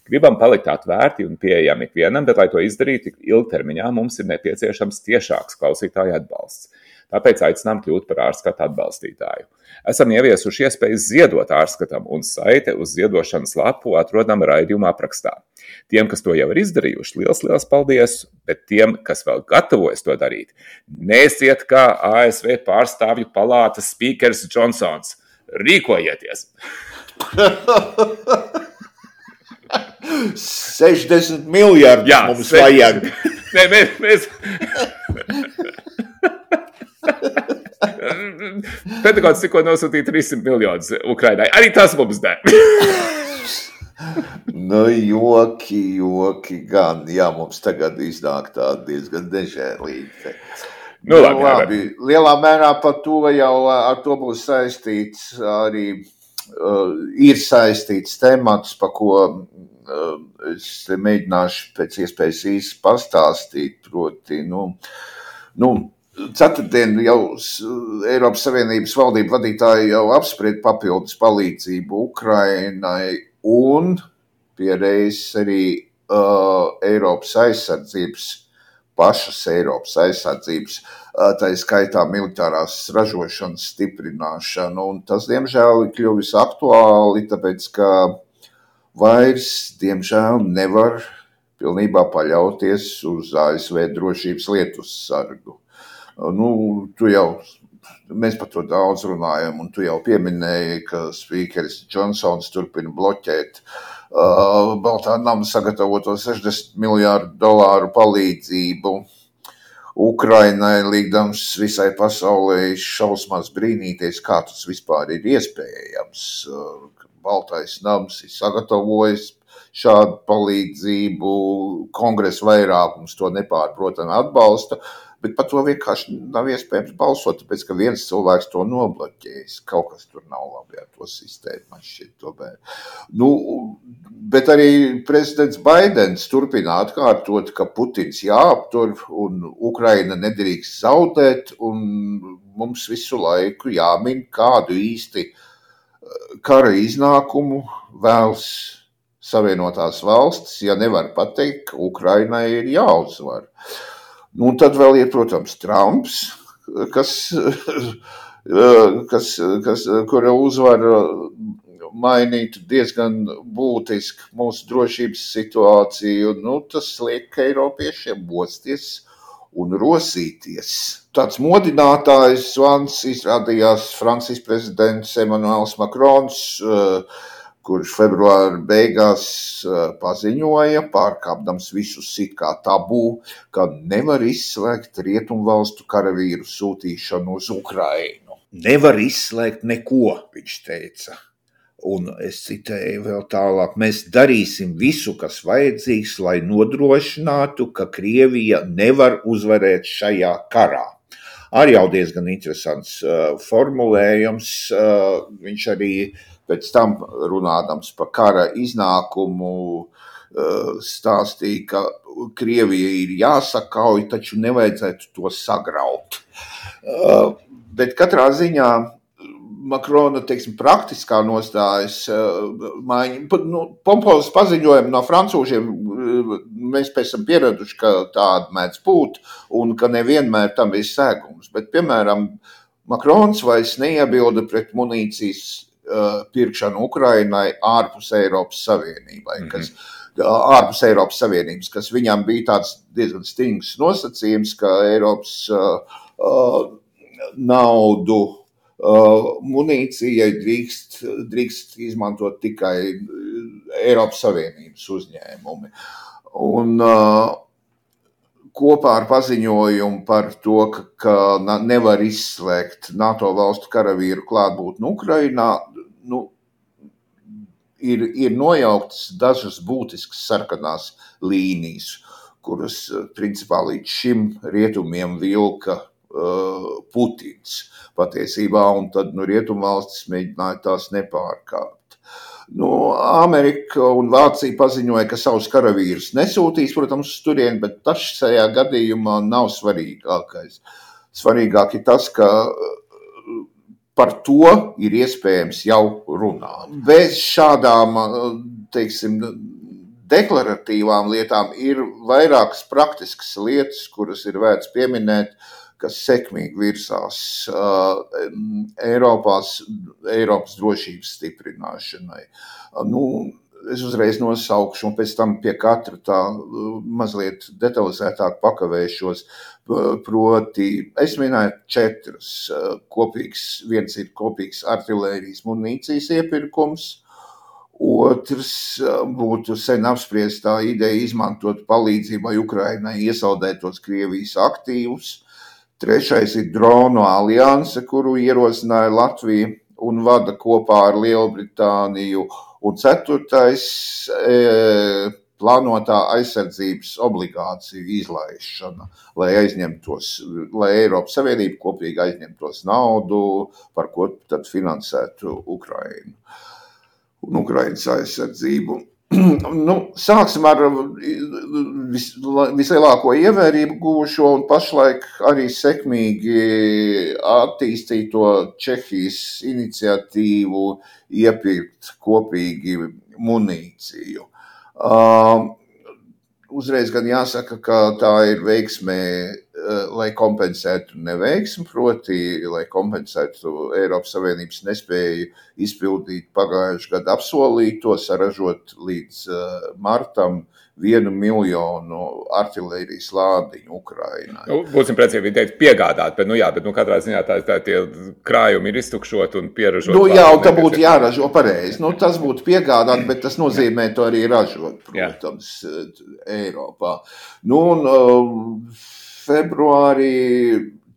A: Gribam palikt atvērti un pieejami ikvienam, bet, lai to izdarītu ilgtermiņā, mums ir nepieciešams tiešāks klausītāju atbalsts. Tāpēc aicinām kļūt par ārskatu atbalstītāju. Esam ieviesuši iespējas ziedot ārskatam, un saite uz ziedošanas lapu atrodam raidījuma aprakstā. Tiem, kas to jau ir izdarījuši, liels, liels paldies, bet tiem, kas vēl gatavojas to darīt, neesiet kā A S V pārstāvju palātas spīkers Džonsons. Rīkojieties!
B: sešdesmit miljardus Jā, mums se... vajag.
A: Nē, mēs... mēs... Pentagonas tikko nosūtīja trīssimt miljonus Ukrainai. Arī tas mums der.
B: Nu, joki, joki gan. Jā, mums tagad iznāk tā diezgan dežēlīgi.
A: Nu, labi,
B: nu, labi. Lielā mērā par to jau ar to būs saistīts arī ir saistīts temats, pa ko es mēģināšu pēc iespējas īsi pastāstīt, proti, nu, nu, ceturtdien jau Eiropas Savienības valdību vadītāji jau apspried papildus palīdzību Ukrainai un piereiz arī uh, Eiropas aizsardzības, pašas Eiropas aizsardzības, uh, tā skaitā militārās ražošanas stiprināšanu. Un tas, diemžēl, ir kļuvis aktuāli, tāpēc, ka vairs, diemžēl, nevar pilnībā paļauties uz A S V drošības lietus sargu. Nu, tu jau, mēs par to daudz runājam, un tu jau pieminēji, ka spīkeris Džonsons turpina bloķēt uh, Baltā nama sagatavoto sešdesmit miljārdu dolāru palīdzību Ukrainai, līgdams visai pasaulē šausmās brīnīties, kā tas vispār ir iespējams. Uh, Baltais nams ir sagatavojis šādu palīdzību, kongresa vairākums to nepārprotami atbalsta, bet par to vienkārši nav iespējams balsot, tāpēc, ka viens cilvēks to nobloķējis. Kaut kas tur nav labi ar to sistēmu, man šķiet tomēr. Nu, bet arī prezidents Baidens turpina atkārtot, ka Putins jāaptur un Ukraina nedrīkst zaudēt, un mums visu laiku jāmin, kādu īsti kara iznākumu vēlas Savienotās valstis, ja nevar pateikt, ka Ukrainai ir jāuzvar. Nu, un tad vēl ir, protams, Trumps, kas, kas, kas, kura uzvara mainītu diezgan būtiski mūsu drošības situāciju. Nu, tas liek Eiropiešiem mosties un rosīties. Tāds modinātājs zvans izrādījās Francijas prezidents Emmanuels Macrons, kurš februāra beigās paziņoja, pārkāpdams visus it kā tabū, ka nevar izslēgt rietumvalstu karavīru sūtīšanu uz Ukrainu. Nevar izslēgt neko, viņš teica. Un es citēju vēl tālāk, mēs darīsim visu, kas vajadzīgs, lai nodrošinātu, ka Krievija nevar uzvarēt šajā karā. Arī jau diezgan interesants uh, formulējums, uh, viņš arī pēc tam runādams par kara iznākumu stāstīja, ka Krievija ir jāsakauj, taču nevajadzētu to sagraut. Bet katrā ziņā Makrona, teiksim, praktiskā nostājas maiņa, nu, pompozas paziņojumi no francūžiem, mēs pēc tam pieraduši, ka tāda mēdz būt un ka nevienmēr tam ir sēgums. Bet, piemēram, Makrons vairs neiebilda pret munīcijas pirkšanu Ukrainai ārpus Eiropas Savienībai, kas, mm-hmm. ārpus Eiropas Savienības, kas viņam bija tāds diezgan stingrs nosacījums, ka Eiropas uh, uh, naudu uh, munīcijai drīkst, drīkst izmantot tikai Eiropas Savienības uzņēmumi. Un uh, kopā ar paziņojumu par to, ka, ka nevar izslēgt NATO valstu karavīru klātbūtni Ukrainā, nu, ir, ir nojauktas dažas būtiskas sarkanās līnijas, kuras principā līdz šim rietumiem vilka uh, Putins patiesībā, un tad nu, rietumvalstis mēģināja tās nepārkāpt. Nu, Amerika un Vācija paziņoja, ka savus karavīrus nesūtīs, protams, uz turieni, bet tas šajā gadījumā nav svarīgākais. Svarīgāk ir tas, ka par to ir iespējams jau runāt. Bez šādām, teiksim, deklaratīvām lietām ir vairākas praktiskas lietas, kuras ir vērts pieminēt, kas sekmīgi virsās uh, Eiropās, Eiropas drošības stiprināšanai. Uh, nu, es uzreiz nosaukšu un pēc tam pie katra tā uh, mazliet detalizētāk pakavēšos. Proti, es minēju četras uh, kopīgas, viens ir kopīgs artilērijas munīcijas iepirkums, otrs uh, būtu sen apspriestā ideja izmantot palīdzībai Ukrainai iesaldētos Krievijas aktīvus. Trešais ir dronu alianse, kuru ierosināja Latvija un vada kopā ar Lielbritāniju. Un ceturtais e, plānotā aizsardzības obligāciju izlaišana, lai aizņemtos, lai Eiropas Savienība kopīgi aizņemtos naudu, par ko tad finansētu Ukrainu un Ukrainas aizsardzību. Nu, sāksim ar vis, vislielāko ievērību guvušo un pašlaik arī sekmīgi attīstīto Čehijas iniciatīvu iepirkt kopīgi munīciju. Uh, uzreiz gan jāsaka, ka tā ir veiksmē, uh, lai kompensētu neveiksmi, proti, lai kompensētu Eiropas Savienības nespēju izpildīt pagājušajā gadu apsolīto, saražot līdz uh, martam vienu miljonu artilērijas lādiņu Ukrainai.
A: Nu, būsim precīzi, viņi teikt piegādāt, bet, nu jā, bet nu, katrā ziņā tā, tā tie krājumi ir iztukšot un pieražot.
B: Nu jā, un tā būtu jāražo pareizi. Nu, tas būtu piegādāt, bet tas nozīmē to arī ražot, protams, jā. Eiropā. Nu, un uh, februārī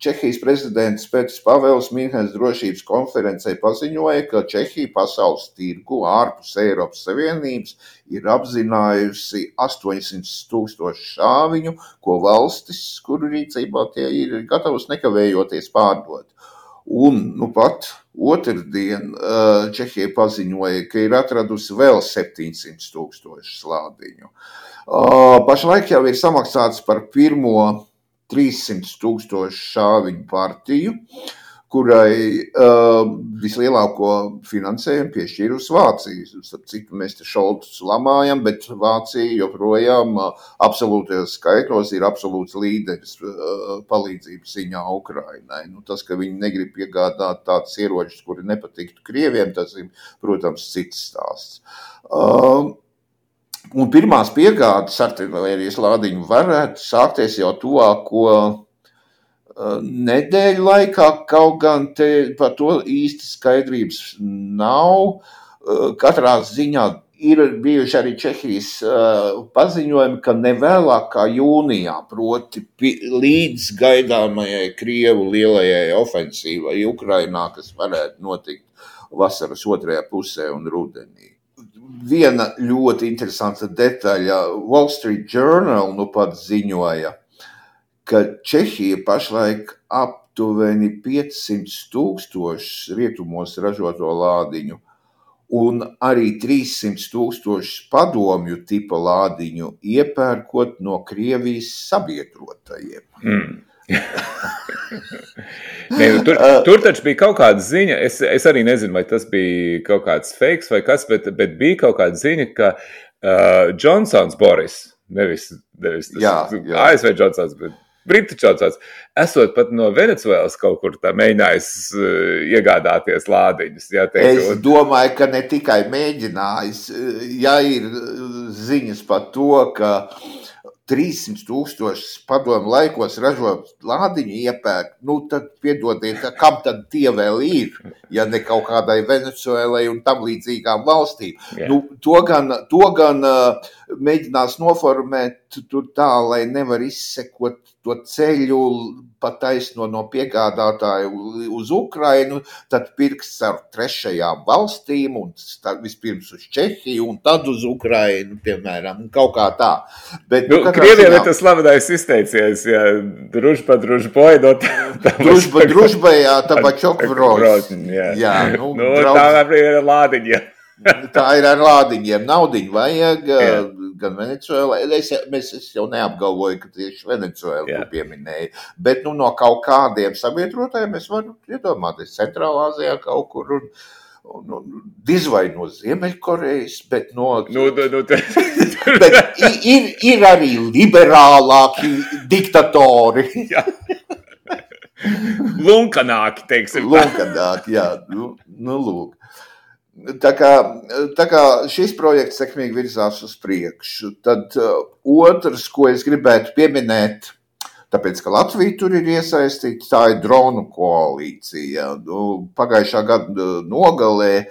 B: Čehijas prezidents Petrs Pavels Mīnhenes drošības konferencē paziņoja, ka Čehija pasaules tirgu ārpus Eiropas Savienības ir apzinājusi astoņsimt tūkstoši šāviņu, ko valstis, kuru rīcībā tie ir gatavas nekavējoties pārdot. Un, nu pat otrdien Čehija paziņoja, ka ir atradusi vēl septiņsimt tūkstoši slādiņu. Pašlaik jau ir samaksāts par pirmo trīssimt tūkstoši šāviņu partiju, kurai uh, vislielāko finansējumu piešķīrusi Vācija. Cik mēs te šoltus lamājam, bet Vācija joprojām uh, absolūtajos skaitļos ir absolūts līderis uh, palīdzības ziņā Ukrainai. Nu, tas, ka viņi negrib piegādāt tādas ieročus, kuri nepatiktu Krieviem, tas ir, protams, cits stāsts. Uh, Un pirmās piegādes artilērijas lādiņu varētu sākties jau tuvāko nedēļu laikā, kaut gan te par to īsti skaidrības nav. Katrā ziņā ir bijuši arī Čehijas paziņojumi, ka nevēlāk kā jūnijā, proti līdz gaidāmajai Krievu lielajai ofensīvai Ukrainā, kas varētu notikt vasaras otrajā pusē un rudenī. Viena ļoti interesanta detaļa. Wall Street Journal nu pat ziņoja, ka Čehija pašlaik aptuveni piecsimt tūkstoši rietumos ražoto lādiņu un arī trīssimt tūkstoši padomju tipa lādiņu iepērkot no Krievijas sabiedrotajiem. Mm.
A: Nē, nu, tur, tur taču bija kaut kāda ziņa, es, es arī nezinu, vai tas bija kaut kāds fakes vai kas, bet, bet bija kaut kāda ziņa, ka uh, Džonsons Boris, nevis, nevis tas
B: jā, jā.
A: A S V Džonsons, bet Britu Džonsons, esot pat no Venecuēlas kaut kur tā mēģinājis uh, iegādāties lādiņus. Jā, teikt,
B: es
A: un...
B: domāju, ka ne tikai mēģinājis, ja ir ziņas par to, ka trīssimt tūkstoši padomu laikos ražot lādiņu iepērk, nu tad piedodiet, kam tad tie vēl ir, ja ne kaut kādai Venecuēlai un tam līdzīgām valstīm. Yeah. Nu, to gan, to gan uh, mēģinās noformēt tur tā, lai nevar izsekot to ceļu pa taisno no piegādātāju uz Ukrainu, tad pirks ar trešajām valstīm un vispirms uz Čehiju un tad uz Ukrainu, piemēram, kaut kā tā. Bet,
A: nu, Krievijam ir tas slavenais izteiciens, ja družba, družboj, no tā...
B: Družba, družba, jā, tabačok vroz.
A: Jā,
B: jā nu,
A: nu,
B: draudz...
A: tā ir lādiņa.
B: Tā ir ar lādiņiem. Naudiņu vajag,
A: jā.
B: Gan Venecuēlā. Es, es, es jau neapgalvoju, ka tieši Venecuēlu pieminēju. Bet nu, no kaut kādiem sabiedrotājiem es varu iedomāties Centrālā Azijā kaut kur un, un, un diz vai no Ziemeļkorejas, bet no...
A: Nu, nu, nu, te...
B: bet ir, ir arī liberālāki diktatori.
A: Jā. Lunkanāki, teiksim.
B: Lunkanāki, jā. Nu, nu lūk. Tā kā, tā kā šis projekts sekmīgi virzās uz priekšu, tad uh, otrs, ko es gribētu pieminēt, tāpēc, ka Latvija tur ir iesaistīta, tā ir dronu koalīcija. Nu, pagājušā gada nogalē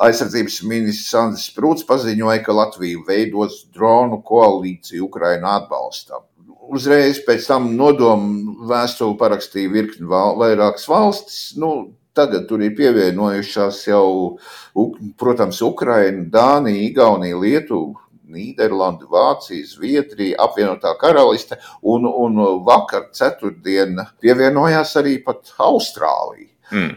B: aizsardzības ministrs Andris Sprūts paziņoja, ka Latvija veidos dronu koalīciju Ukrainu atbalstam. Uzreiz pēc tam nodomu vēstuli parakstīja virkni vairākas valstis, nu, tagad tur ir pievienojušās jau, protams, Ukraina, Dānija, Igaunija, Lietuva, Nīderlanda, Vācija, Zviedrija, apvienotā karaliste, un, un vakar ceturtdien pievienojās arī pat Austrālija. Mm.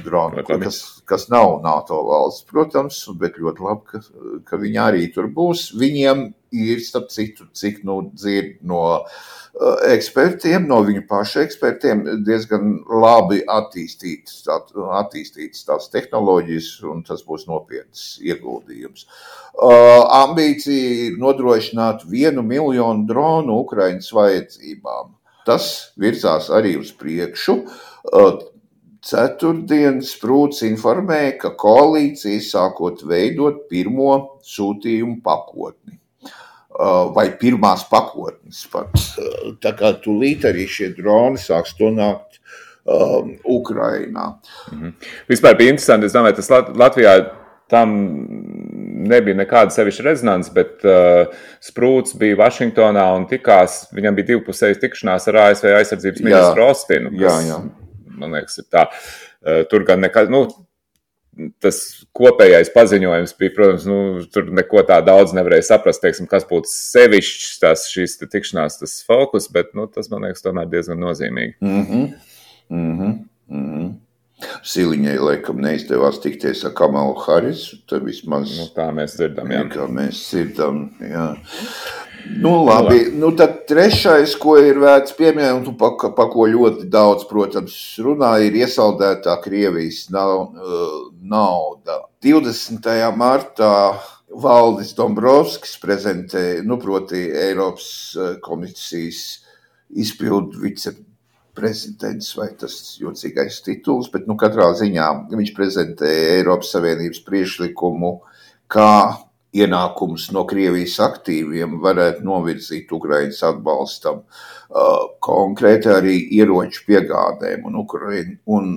B: Dronu, kas, kas nav NATO valsts, protams, bet ļoti labi, ka, ka viņi arī tur būs. Viņiem ir, starp citu, cik nu dzird no uh, ekspertiem, no viņu pašu ekspertiem, diezgan labi attīstītas, tā, attīstītas tās tehnoloģijas, un tas būs nopietns ieguldījums. Uh, ambīcija ir nodrošināt vienu miljonu dronu Ukrainas vajadzībām. Tas virzās arī uz priekšu. Uh, Ceturtdien Sprūds informēja, ka koalīcija sākot veidot pirmo sūtījumu pakotni. Vai pirmās pakotnes pat. Tā kā tūlīt arī šie droni sāks to nākt um, Ukrainā.
A: Mhm. Vispār bija interesanti, es domāju, tas Latvijā tam nebija nekāda sevišķa rezonanse, bet uh, Sprūds bija Vašingtonā un tikās, viņam bija divpusējas tikšanās ar A S V aizsardzības ministru Ostinu.
B: Jā, jā.
A: Man liekas, ir tā. Tur gan nekad, nu, tas kopējais paziņojums bija, protams, nu, tur neko tā daudz nevarēja saprast, teiksim, kas būtu sevišķs tās šīs tikšanās, tas fokus, bet, nu, tas, man liekas, tomēr diezgan nozīmīgi.
B: Mhm, mhm, mhm. Siliņai, laikam, neizdevās tikties ar Kamalu Harisu, tad vismaz...
A: Nu, tā mēs dzirdam, jā.
B: Kā mēs dzirdam, jā. Nu, labi, nu tad trešais, ko ir vērts pieminēt, un pa, pa ko ļoti daudz, protams, runā, ir iesaldētā Krievijas nauda. divdesmitajā martā Valdis Dombrovskis prezentēja, nu, proti Eiropas komisijas izpildu viceprezidents, vai tas jocīgais tituls, bet, nu, katrā ziņā viņš prezentēja Eiropas Savienības priekšlikumu, kā ienākums no Krievijas aktīviem varētu novirzīt Ukrainas atbalstam, uh, konkrēti arī ieroču piegādēm un, Ukraina, un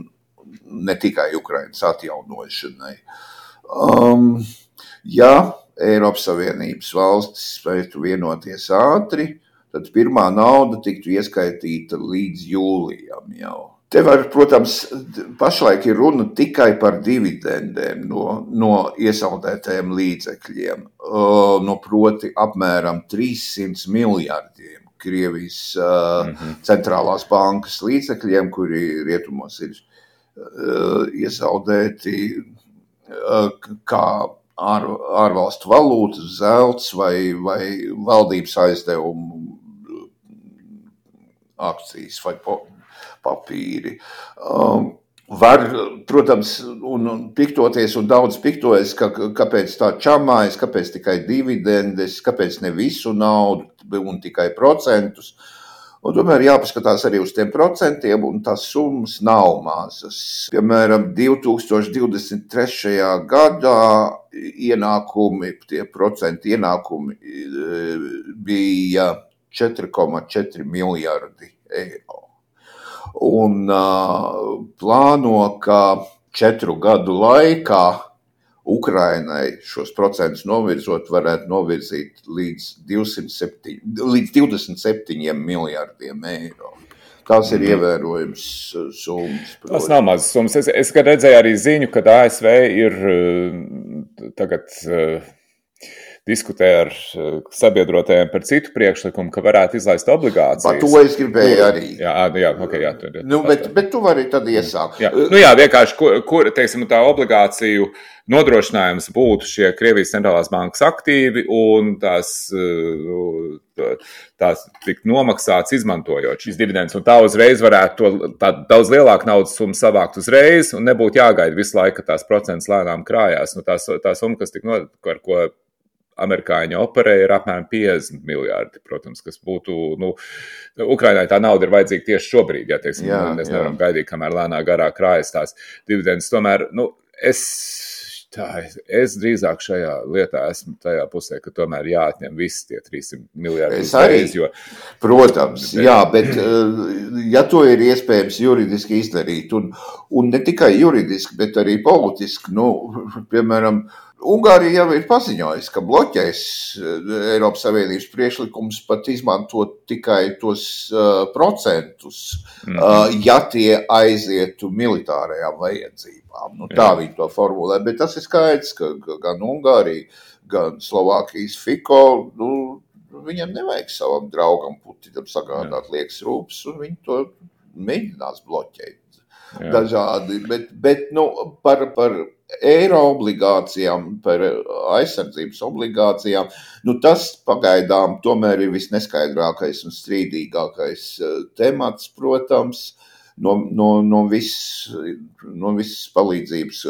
B: ne tikai Ukrainas atjaunošanai. Um, ja Eiropas Savienības valstis spētu vienoties ātri, tad pirmā nauda tiktu ieskaitīta līdz jūlijam jau. Te var, protams, pašlaik ir runa tikai par dividendēm no, no iesaldētajiem līdzekļiem, no proti apmēram trīssimts miljardiem Krievijas uh, mm-hmm. centrālās bankas līdzekļiem, kuri rietumos ir uh, iesaldēti uh, kā ār, ārvalstu valūtas, zelts vai, vai valdības aizdevumu akcijas vai po. papīri. Um, var, protams, un, un piktoties, un daudz piktojas, ka, kāpēc tā čamājas, kāpēc tikai dividendes, kāpēc ne visu naudu un tikai procentus. Un tomēr jāpaskatās arī uz tiem procentiem, un tās summas nav mazas. Piemēram, divi tūkstoši divdesmit trešajā gadā ienākumi, tie procenti ienākumi bija četri komats četri miljardi eiro. Un uh, plāno, ka četru gadu laikā Ukrainai šos procentus novirzot varētu novirzīt līdz, līdz divdesmit septiņiem miljardiem eiro. Tās ir ievērojams summas.
A: Tas nav mazas summas. Es, es redzēju arī ziņu, ka A S V ir tagad diskutē ar sabiedrotajiem par citu priekšlikumu, ka varētu izlaist obligācijas.
B: Par to es gribēju arī.
A: Jā, jā, ok, jā. Tur,
B: nu, bet, bet tu vari tad iesākt.
A: Jā. Nu jā, vienkārši, kur, kur teiksim, tā obligāciju nodrošinājums būtu šie Krievijas centrālās bankas aktīvi un tās, tās tikt nomaksāts izmantojot šīs dividendes. Un tā uzreiz varētu to tā daudz lielāku naudas summu savākt uzreiz un nebūtu jāgaida visu laiku, ka tās procents lēnām krājās. Nu, tās, tā summa, kas tik no, ar ko amerikāņi operē, ir apmēram piecdesmit miljārdi, protams, kas būtu, nu, Ukrainai tā nauda ir vajadzīga tieši šobrīd, ja, teiksim, jā, mēs nevaram jā. gaidīt, kamēr lēnā garā krājas tās dividendes. Tomēr, nu, es, tā, es drīzāk šajā lietā esmu tajā pusē, ka tomēr jāatņem visi tie trīssimt miljārdi.
B: Es arī, jo, protams, bet, jā, bet ja to ir iespējams juridiski izdarīt, un, un ne tikai juridiski, bet arī politiski, nu, piemēram, Ungārija jau ir paziņojusi, ka bloķēs Eiropas Savienības priekšlikums pat izmantot tikai tos uh, procentus, mm-hmm. uh, ja tie aizietu militārajām vajadzībām. Nu, tā viņi to formulē, bet tas ir skaidrs, ka, ka gan Ungārija, gan Slovākijas Fiko, nu, viņam nevajag savam draugam Putinam sagādāt liekas rūpes, un viņi to mēģinās bloķēt. Jā. Dažādi, bet, bet nu, par, par eiro obligācijām, par aizsardzības obligācijām, nu tas pagaidām tomēr ir visneskaidrākais un strīdīgākais temats, protams, no, no, no, viss, no visas palīdzības,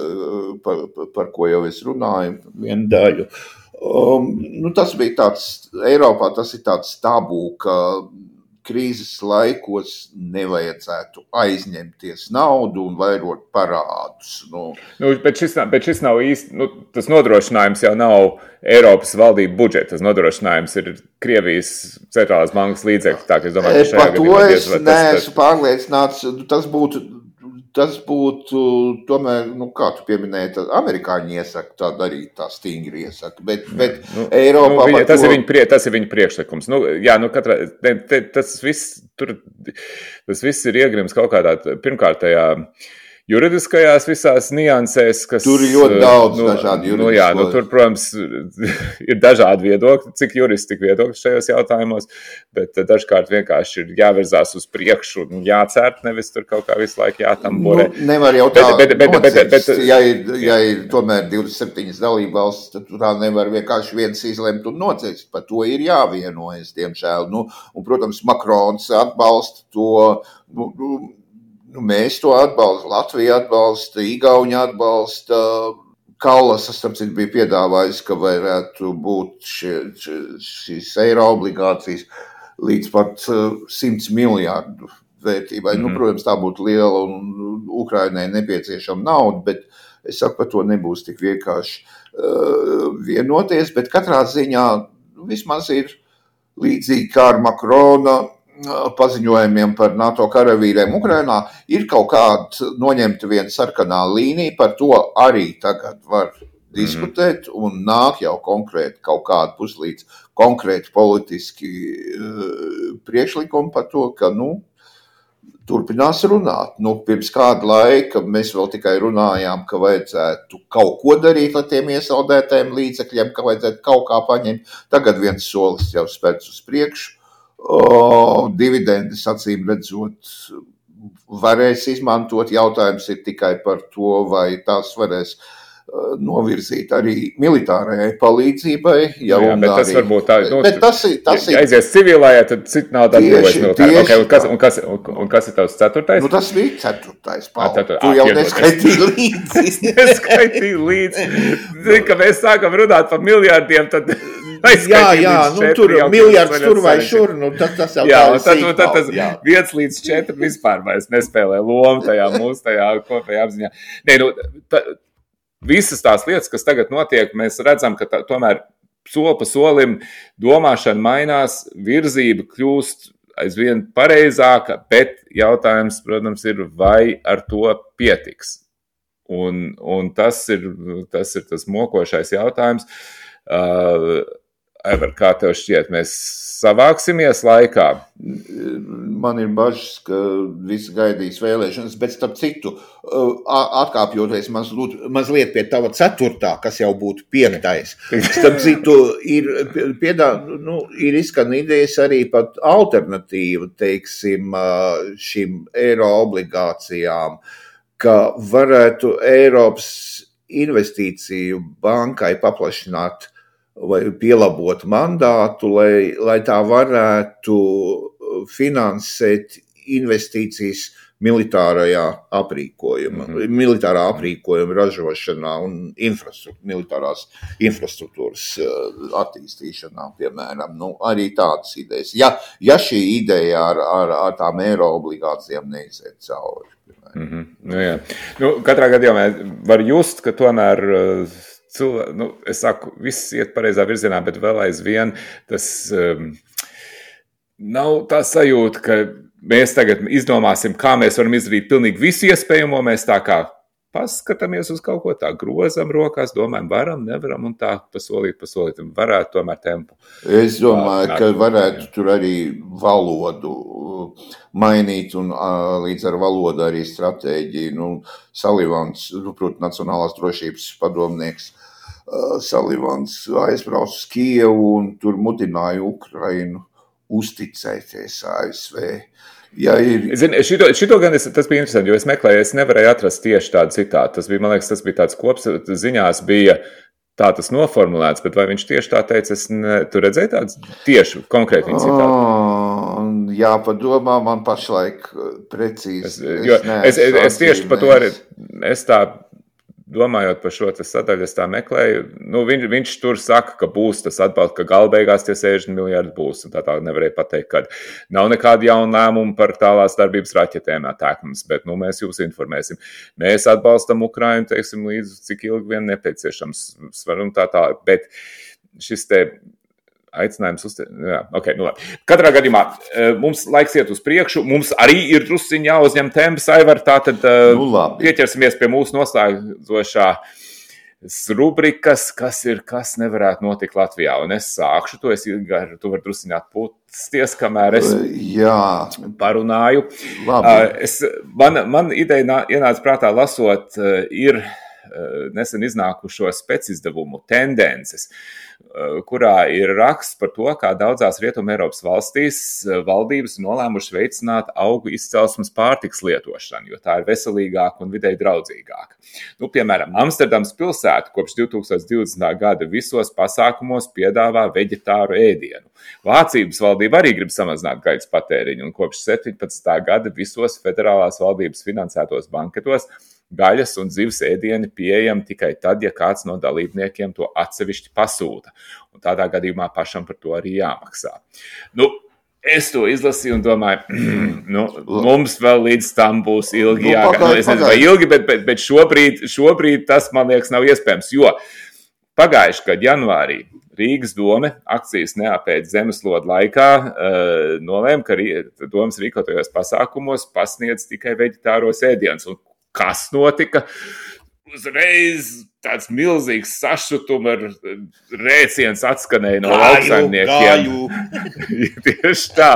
B: par, par ko jau es runāju, vienu daļu. Um, nu tas bija tāds, Eiropā tas ir tāds tabū, ka krīzes laikos nevajadzētu aizņemties naudu un vairot parādus. Nu,
A: nu, bet, šis, bet šis nav īsti, nu, tas nodrošinājums jau nav Eiropas valdību budžeta, tas nodrošinājums ir Krievijas centrālās bankas līdzekļi. Tā, ka es domāju, ka
B: par to es neesmu pārliecināts, tas būtu, tas būtu tomēr, nu kā tu pieminēji, tad amerikāņi iesaka tā darīt, tā stingri iesaka, bet, bet
A: nu,
B: Eiropā...
A: Nu, viņa, tas,
B: to...
A: ir viņa prie, tas ir viņa priekšlikums. Nu, jā, nu katrā, te, te, tas, viss, tur, tas viss ir iegrims kaut kādā pirmkārtajā juridiskajās visās niansēs, kas...
B: Tur ir ļoti daudz
A: nu,
B: dažādi juridisko.
A: Nu, jā, nu, tur, protams, ir dažādi viedokļi, cik juristi, tik viedokļi šajos jautājumos, bet dažkārt vienkārši ir jāvirzās uz priekšu un jācērt, nevis tur kaut kā visu laiku jātamborē.
B: Nu, nevar jau tā
A: bet, bet, bet, bet, bet,
B: ja, ir, ja ir tomēr divdesmit septiņas dalībvalstis, tad tā nevar vienkārši viens izlemt un nocirst. Par to ir jāvienojas, diemžēl. Nu, un, protams, Makrons atbalsta to... Nu, Nu, mēs to atbalstam, Latvija atbalsta, Igauņa atbalsta, Kallasas, tam citu bija piedāvājis, ka varētu būt šie, šīs eiro obligācijas līdz pat simts miljārdu vērtībai. Mm-hmm. Nu, protams, tā būtu liela un Ukrainai nepieciešama nauda, bet es saku, par to nebūs tik vienkārši uh, vienoties, bet katrā ziņā vismaz ir līdzīgi kā ar Makrona paziņojumiem par NATO karavīriem Ukrainā, ir kaut kāda noņemta viena sarkanā līnija, par to arī tagad var diskutēt, mm-hmm. un nāk jau konkrēti kaut kāda puslīdz konkrēti politiski uh, priekšlikumi par to, ka, nu, turpinās runāt. Nu, pirms kāda laika mēs vēl tikai runājām, ka vajadzētu kaut ko darīt ar tiem iesaldētajiem līdzekļiem, ka vajadzētu kaut kā paņemt. Tagad viens solis jau spērts uz priekšu. O, dividendes acīm redzot varēs izmantot. Jautājums ir tikai par to, vai tās varēs uh, novirzīt arī militārajai palīdzībai. Ja
A: jā, bet tas
B: arī,
A: varbūt tā, nu,
B: bet tas ir, tas
A: ja aizies civilājā, tad cit nav tā atbrīvojas militāri. Okay, un, kas, un, kas, un, un kas ir tavs ceturtais?
B: Nu, tas bija ceturtais, Paul.
A: Ah, cetur...
B: Tu jau
A: ah,
B: neskaitīji līdzi.
A: Neskaitīji līdzi. Zini, ka mēs sākam runāt par miljārdiem, tad...
B: Jā, jā, nu tur miljards tur vai šur, nu tas, tas jau
A: jā,
B: tā ir
A: tad,
B: sīkāk.
A: Tad tas viens līdz četri vispār vairs nespēlē lomu tajā mūsu tajā kopējā apziņā. Nē, nu, ta, visas tās lietas, kas tagad notiek, mēs redzam, ka tā, tomēr soli pa solim domāšana mainās, virzība kļūst aizvien pareizāka, bet jautājums, protams, ir, vai ar to pietiks. Un, un tas ir, tas ir tas mokošais jautājums. Uh, Ever, kā tev šķiet, mēs savāksimies laikā?
B: Man ir bažas, ka visi gaidīs vēlēšanas, bet starp citu, atkāpjoties mazliet, mazliet pie tava ceturtā, kas jau būtu piektais. Starp citu, ir, piedā, nu, ir izskan idejas arī pat alternatīva, teiksim, šim eiro obligācijām, ka varētu Eiropas investīciju bankai paplašināt vai pielabot mandātu, lai, lai tā varētu finansēt investīcijas militārajā aprīkojuma, mm-hmm. militārā aprīkojuma ražošanā un infrastruktūra, militārās infrastruktūras attīstīšanā, piemēram. Nu, arī tādas idejas. Ja, ja šī ideja ar, ar, ar tām eiro obligācijām neiziet cauri.
A: Mm-hmm. Nu, jā. Nu, katrā gadījumā var just, ka tomēr cilvēki, nu, es saku, viss iet pareizā virzienā, bet vēl aizvien tas um, nav tā sajūta, ka mēs tagad izdomāsim, kā mēs varam izdarīt pilnīgi visu iespējamo, mēs tā kā paskatāmies uz kaut ko, tā grozam rokās, domājam, varam, nevaram, un tā pasolīt, pasolīt, varētu tomēr tempu.
B: Es domāju, ka varētu tur arī valodu mainīt, un līdz ar valodu arī stratēģiju. Nu, Salivans, protams, Nacionālās drošības padomnieks, Salivans aizbrauc uz Kijevu un tur mudināja Ukrainu uzticēties A S V. Ja ir...
A: Zini, šito, šito gan es, tas bija interesanti, jo es meklēju, es nevarēju atrast tieši tādu citātu. Tas bija, man liekas, tas bija tāds kops, ziņās bija tā tas noformulēts, bet vai viņš tieši tā teica, es ne, tu redzēji tāds tieši konkrēti viņa citātu?
B: Oh, jā, padomā, man pašlaik precīzi.
A: Es, jo, es, es, es tieši par to arī, es tā, domājot par šo sadaļu, es tā meklēju, nu, viņš, viņš tur saka, ka būs tas atbalsts, ka galbeigās tie sešdesmit miljardi būs, un tā tā nevarēja pateikt, ka nav nekāda jauna lēmuma par tālās darbības raķetēm attākums, bet, nu, mēs jūs informēsim. Mēs atbalstam Ukrainu, teiksim, līdz cik ilgi vien nepieciešams, svarum tā tā, bet šis te aicinājums uz te... Jā, ok, nu labi. Katrā gadījumā mums laiks iet uz priekšu, mums arī ir drusciņ jāuzņem temps, Aivar, tātad nu, pieķersimies pie mūsu noslēdzošā rubrikas, kas ir, kas nevarētu notikt Latvijā. Un es sākšu to, es, tu vari drusciņ atpūsties, kamēr es
B: Jā.
A: parunāju. Es, man, man ideja ienāca prātā lasot, ir nesen iznākušo specizdevumu tendences, kurā ir raksts par to, kā daudzās Rietuma Eiropas valstīs valdības nolēmuši veicināt augu izcelsmes pārtikas lietošanu, jo tā ir veselīgāka un videi draudzīgāka. Nu, piemēram, Amsterdams pilsēta kopš divi tūkstoši divdesmitā gada visos pasākumos piedāvā veģetāru ēdienu. Vācības valdība arī grib samazināt gaļas patēriņu, un kopš septiņpadsmitā gada visos federālās valdības finansētos banketos gaļas un zivs ēdieni pieejami tikai tad, ja kāds no dalībniekiem to atsevišķi pasūta. Un tādā gadījumā pašam par to arī jāmaksā. Nu, es to izlasīju un domāju, nu, mums vēl līdz tam būs ilgi jāgaida. Nu, es nezinu, vai ilgi, bet, bet, bet šobrīd, šobrīd tas, man liekas, nav iespējams, jo pagājuši gadu janvārī Rīgas dome akcijas neapēc zemeslodu laikā uh, nolēma, ka domas rīkotajos pasākumos pasniedz tikai veģetāros ēdienus. Un kas notika? Uzreiz tāds milzīgs sašutuma rēciens atskanēja no lauksaimniekiem. Tieši tā,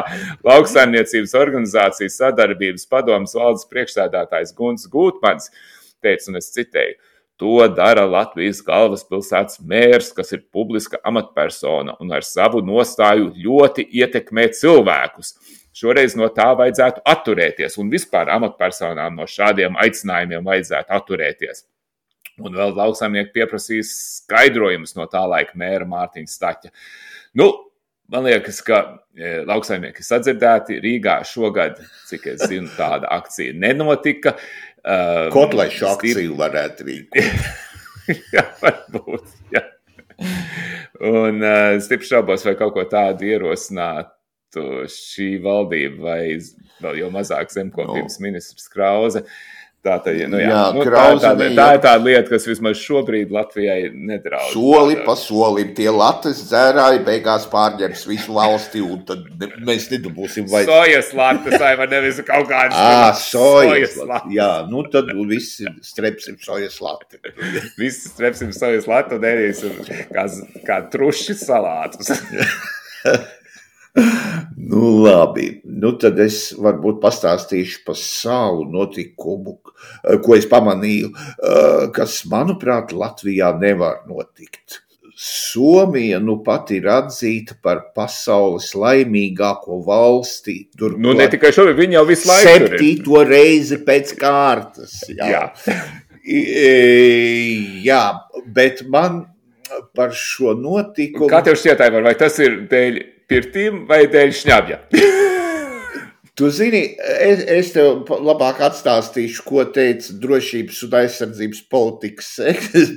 A: lauksaimniecības organizācijas sadarbības padomes valdes priekšsēdētājs Gunts Gūtmans teica, un es citēju, to dara Latvijas galvaspilsētas mērs, kas ir publiska amatpersona un ar savu nostāju ļoti ietekmē cilvēkus. Šoreiz no tā vajadzētu atturēties, un vispār amatpersonām no šādiem aicinājumiem vajadzētu atturēties. Un vēl lauksaimnieki pieprasīs skaidrojumus no tā laika mēra Mārtiņa Staķa. Nu, man liekas, ka e, lauksaimnieki sadzirdēti. Rīgā šogad, cik es zinu, tāda akcija nenotika. Um,
B: Kotlaišu akciju varētu rīkot.
A: Jā, varbūt, jā. Un uh, stipri šaubos, vai kaut ko tādu ierosināt šī valdība vai vēl jau mazāk zemkopības no. ministrs Krause. Tā, tā, nu, jā, jā, nu, tā, tā, tā, tā ir tāda lieta, kas vismaz šobrīd Latvijai nedraud.
B: Soli pa solim tie latas dzērāji beigās pārņems visu valsti, un tad mēs nedabūsim vajag.
A: Sojas latas, vai nevis kaut kādas.
B: Ā, sojas latas. Jā, nu tad visi strepsim sojas lati.
A: Visi strepsim sojas lati un ēdīsim kā, kā truši salātus.
B: Nu, labi. Nu, tad es varbūt pastāstīšu par savu notikumu, ko es pamanīju, kas, manuprāt, Latvijā nevar notikt. Somija nu pat ir atzīta par pasaules laimīgāko valsti. Tur,
A: nu, ne tikai šobrīd, viņi jau visu laiku tur ir.
B: Septīto reizi pēc kārtas. Jā. Jā. Jā, bet man par šo notikumu...
A: Kā tev šķiet, Aivar, vai tas ir dēļ pirtīm vai dēļ šņabja?
B: Tu zini, es, es tev labāk atstāstīšu, ko teica drošības un aizsardzības politikas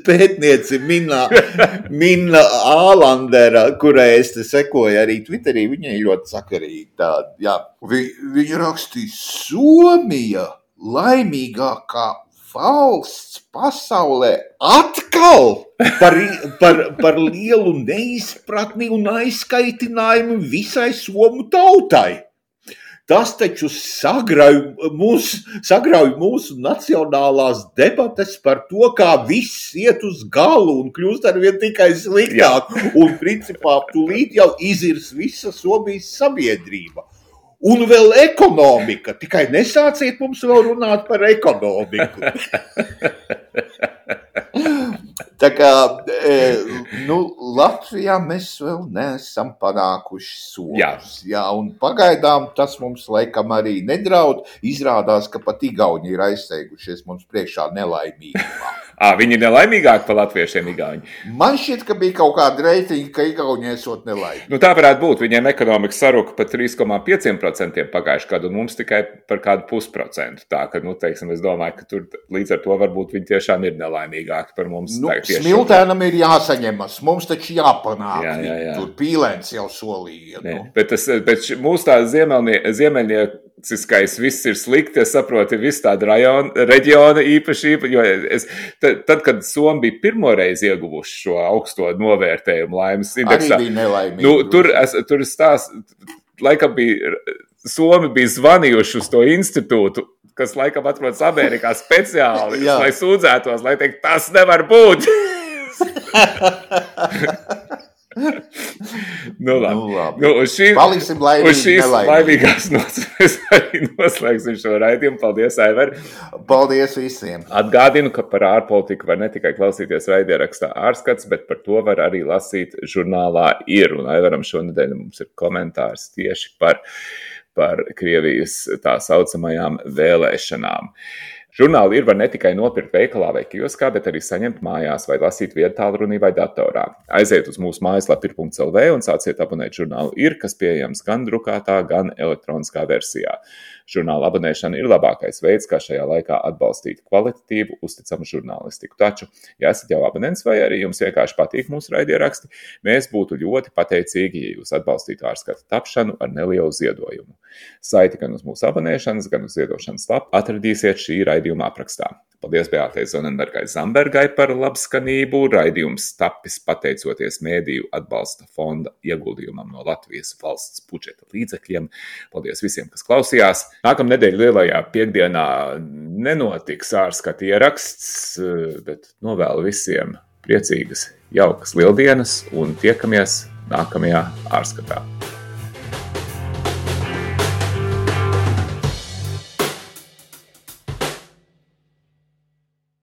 B: pētniece Minna, Minna Ālandera, kurai es te sekoju arī Twitterī. Viņai ļoti sakarīgi tāda, jā. Vi, viņa rakstīja, Somija laimīgākā valsts pasaulē atkal par, par, par lielu neizpratni un aizskaitinājumu visai somu tautai. Tas taču sagrauj mūsu, sagrauj mūsu nacionālās debates par to, kā viss iet uz galu un kļūst arvien tikai sliktāk. Un principā tūlīt jau izirs visa Somijas sabiedrība. Un vēl ekonomika. Tikai nesāciet mums vēl runāt par ekonomiku. Tā kā, nu, Latvijā mēs vēl neesam panākuši soļus. Jā. Jā, un pagaidām tas mums laikam arī nedraud. Izrādās, ka pat Igauni ir aizsteigušies mums priekšā nelaimīgumā.
A: À, viņi ir nelaimīgāki par latviešiem Igauni?
B: Man šķiet, ka bija kaut kāda reitinga, ka Igauni esot nelaimīgi.
A: Nu, tā varētu būt. Viņiem ekonomika saruka par trīs komā pieci procenti pagājuši gadu, un mums tikai par kādu pusprocentu. Tā, ka, nu, teiksim, es domāju, ka tur līdz ar to varbūt viņi tiešām ir nelaimīgāki par mums.
B: Nu,
A: tā,
B: Smiltēnam ir jāsaņemas, mums taču jāpanāk.
A: Jā, jā, jā.
B: Tur Pīlēns jau solīja. Nu.
A: Bet, tas, bet mūsu tā ziemeļnieciskais viss ir slikti, es saprotu, ir viss tāda rajona, reģiona īpaši, jo es, tad, tad, kad Somi bija pirmo reizi ieguvuši šo augsto novērtējumu laimes indeksā,
B: arī bija nelaimīgi.
A: Nu, tur, es, tur stās, laikam bija, Somi bija zvanījuši uz to institūtu, kas laikam atrodas Amerikā speciāli, lai sūdzētos, lai teikt, tas nevar būt. Nu, labi. Nu, labi. Nu, uz šī,
B: Paliksim laimīgi,
A: uz šīs
B: nelaimīgi.
A: laimīgās nots mēs arī noslēgsim šo raidījumu. Paldies, Aivar!
B: Paldies visiem!
A: Atgādinu, ka par ārpolitiku var ne tikai klausīties raidierakstā Ārskats, bet par to var arī lasīt žurnālā Ir. Un Aivaram šonedēļ mums ir komentārs tieši par, par Krievijas tā saucamajām vēlēšanām. Žurnāli Ir var ne tikai nopirkt veikalā vai kioskā, bet arī saņemt mājās vai lasīt viedtālrunī vai datorā. Aiziet uz mūsu mājaslapu ir punkts el vē un sāciet abonēt žurnālu Ir, kas pieejams gan drukātā, gan elektroniskā versijā. Žurnāla abonēšana ir labākais veids, kā šajā laikā atbalstīt kvalitatīvu, uzticamu žurnālistiku. Taču, ja esat jau abonents vai arī jums vienkārši patīk mūsu raidieraksti, mēs būtu ļoti pateicīgi, ja jūs atbalstītu Ārskata tapšanu ar nelielu ziedojumu. Saiti gan uz mūsu abonēšanas, gan uz ziedošanas lapu atradīsiet šī raidījuma aprakstā. Paldies Beātei Zonenbergai Zambergai par labskanību. Raidījums tapis pateicoties Mēdīju atbalsta fonda ieguldījumam no Latvijas valsts budžeta līdzekļiem. Paldies visiem, kas klausījās. Nākamnedēļ lielajā piekdienā nenotiks Ārskata ieraksts, bet novēlu visiem priecīgas, jaukas lieldienas un tiekamies nākamajā Ārskatā.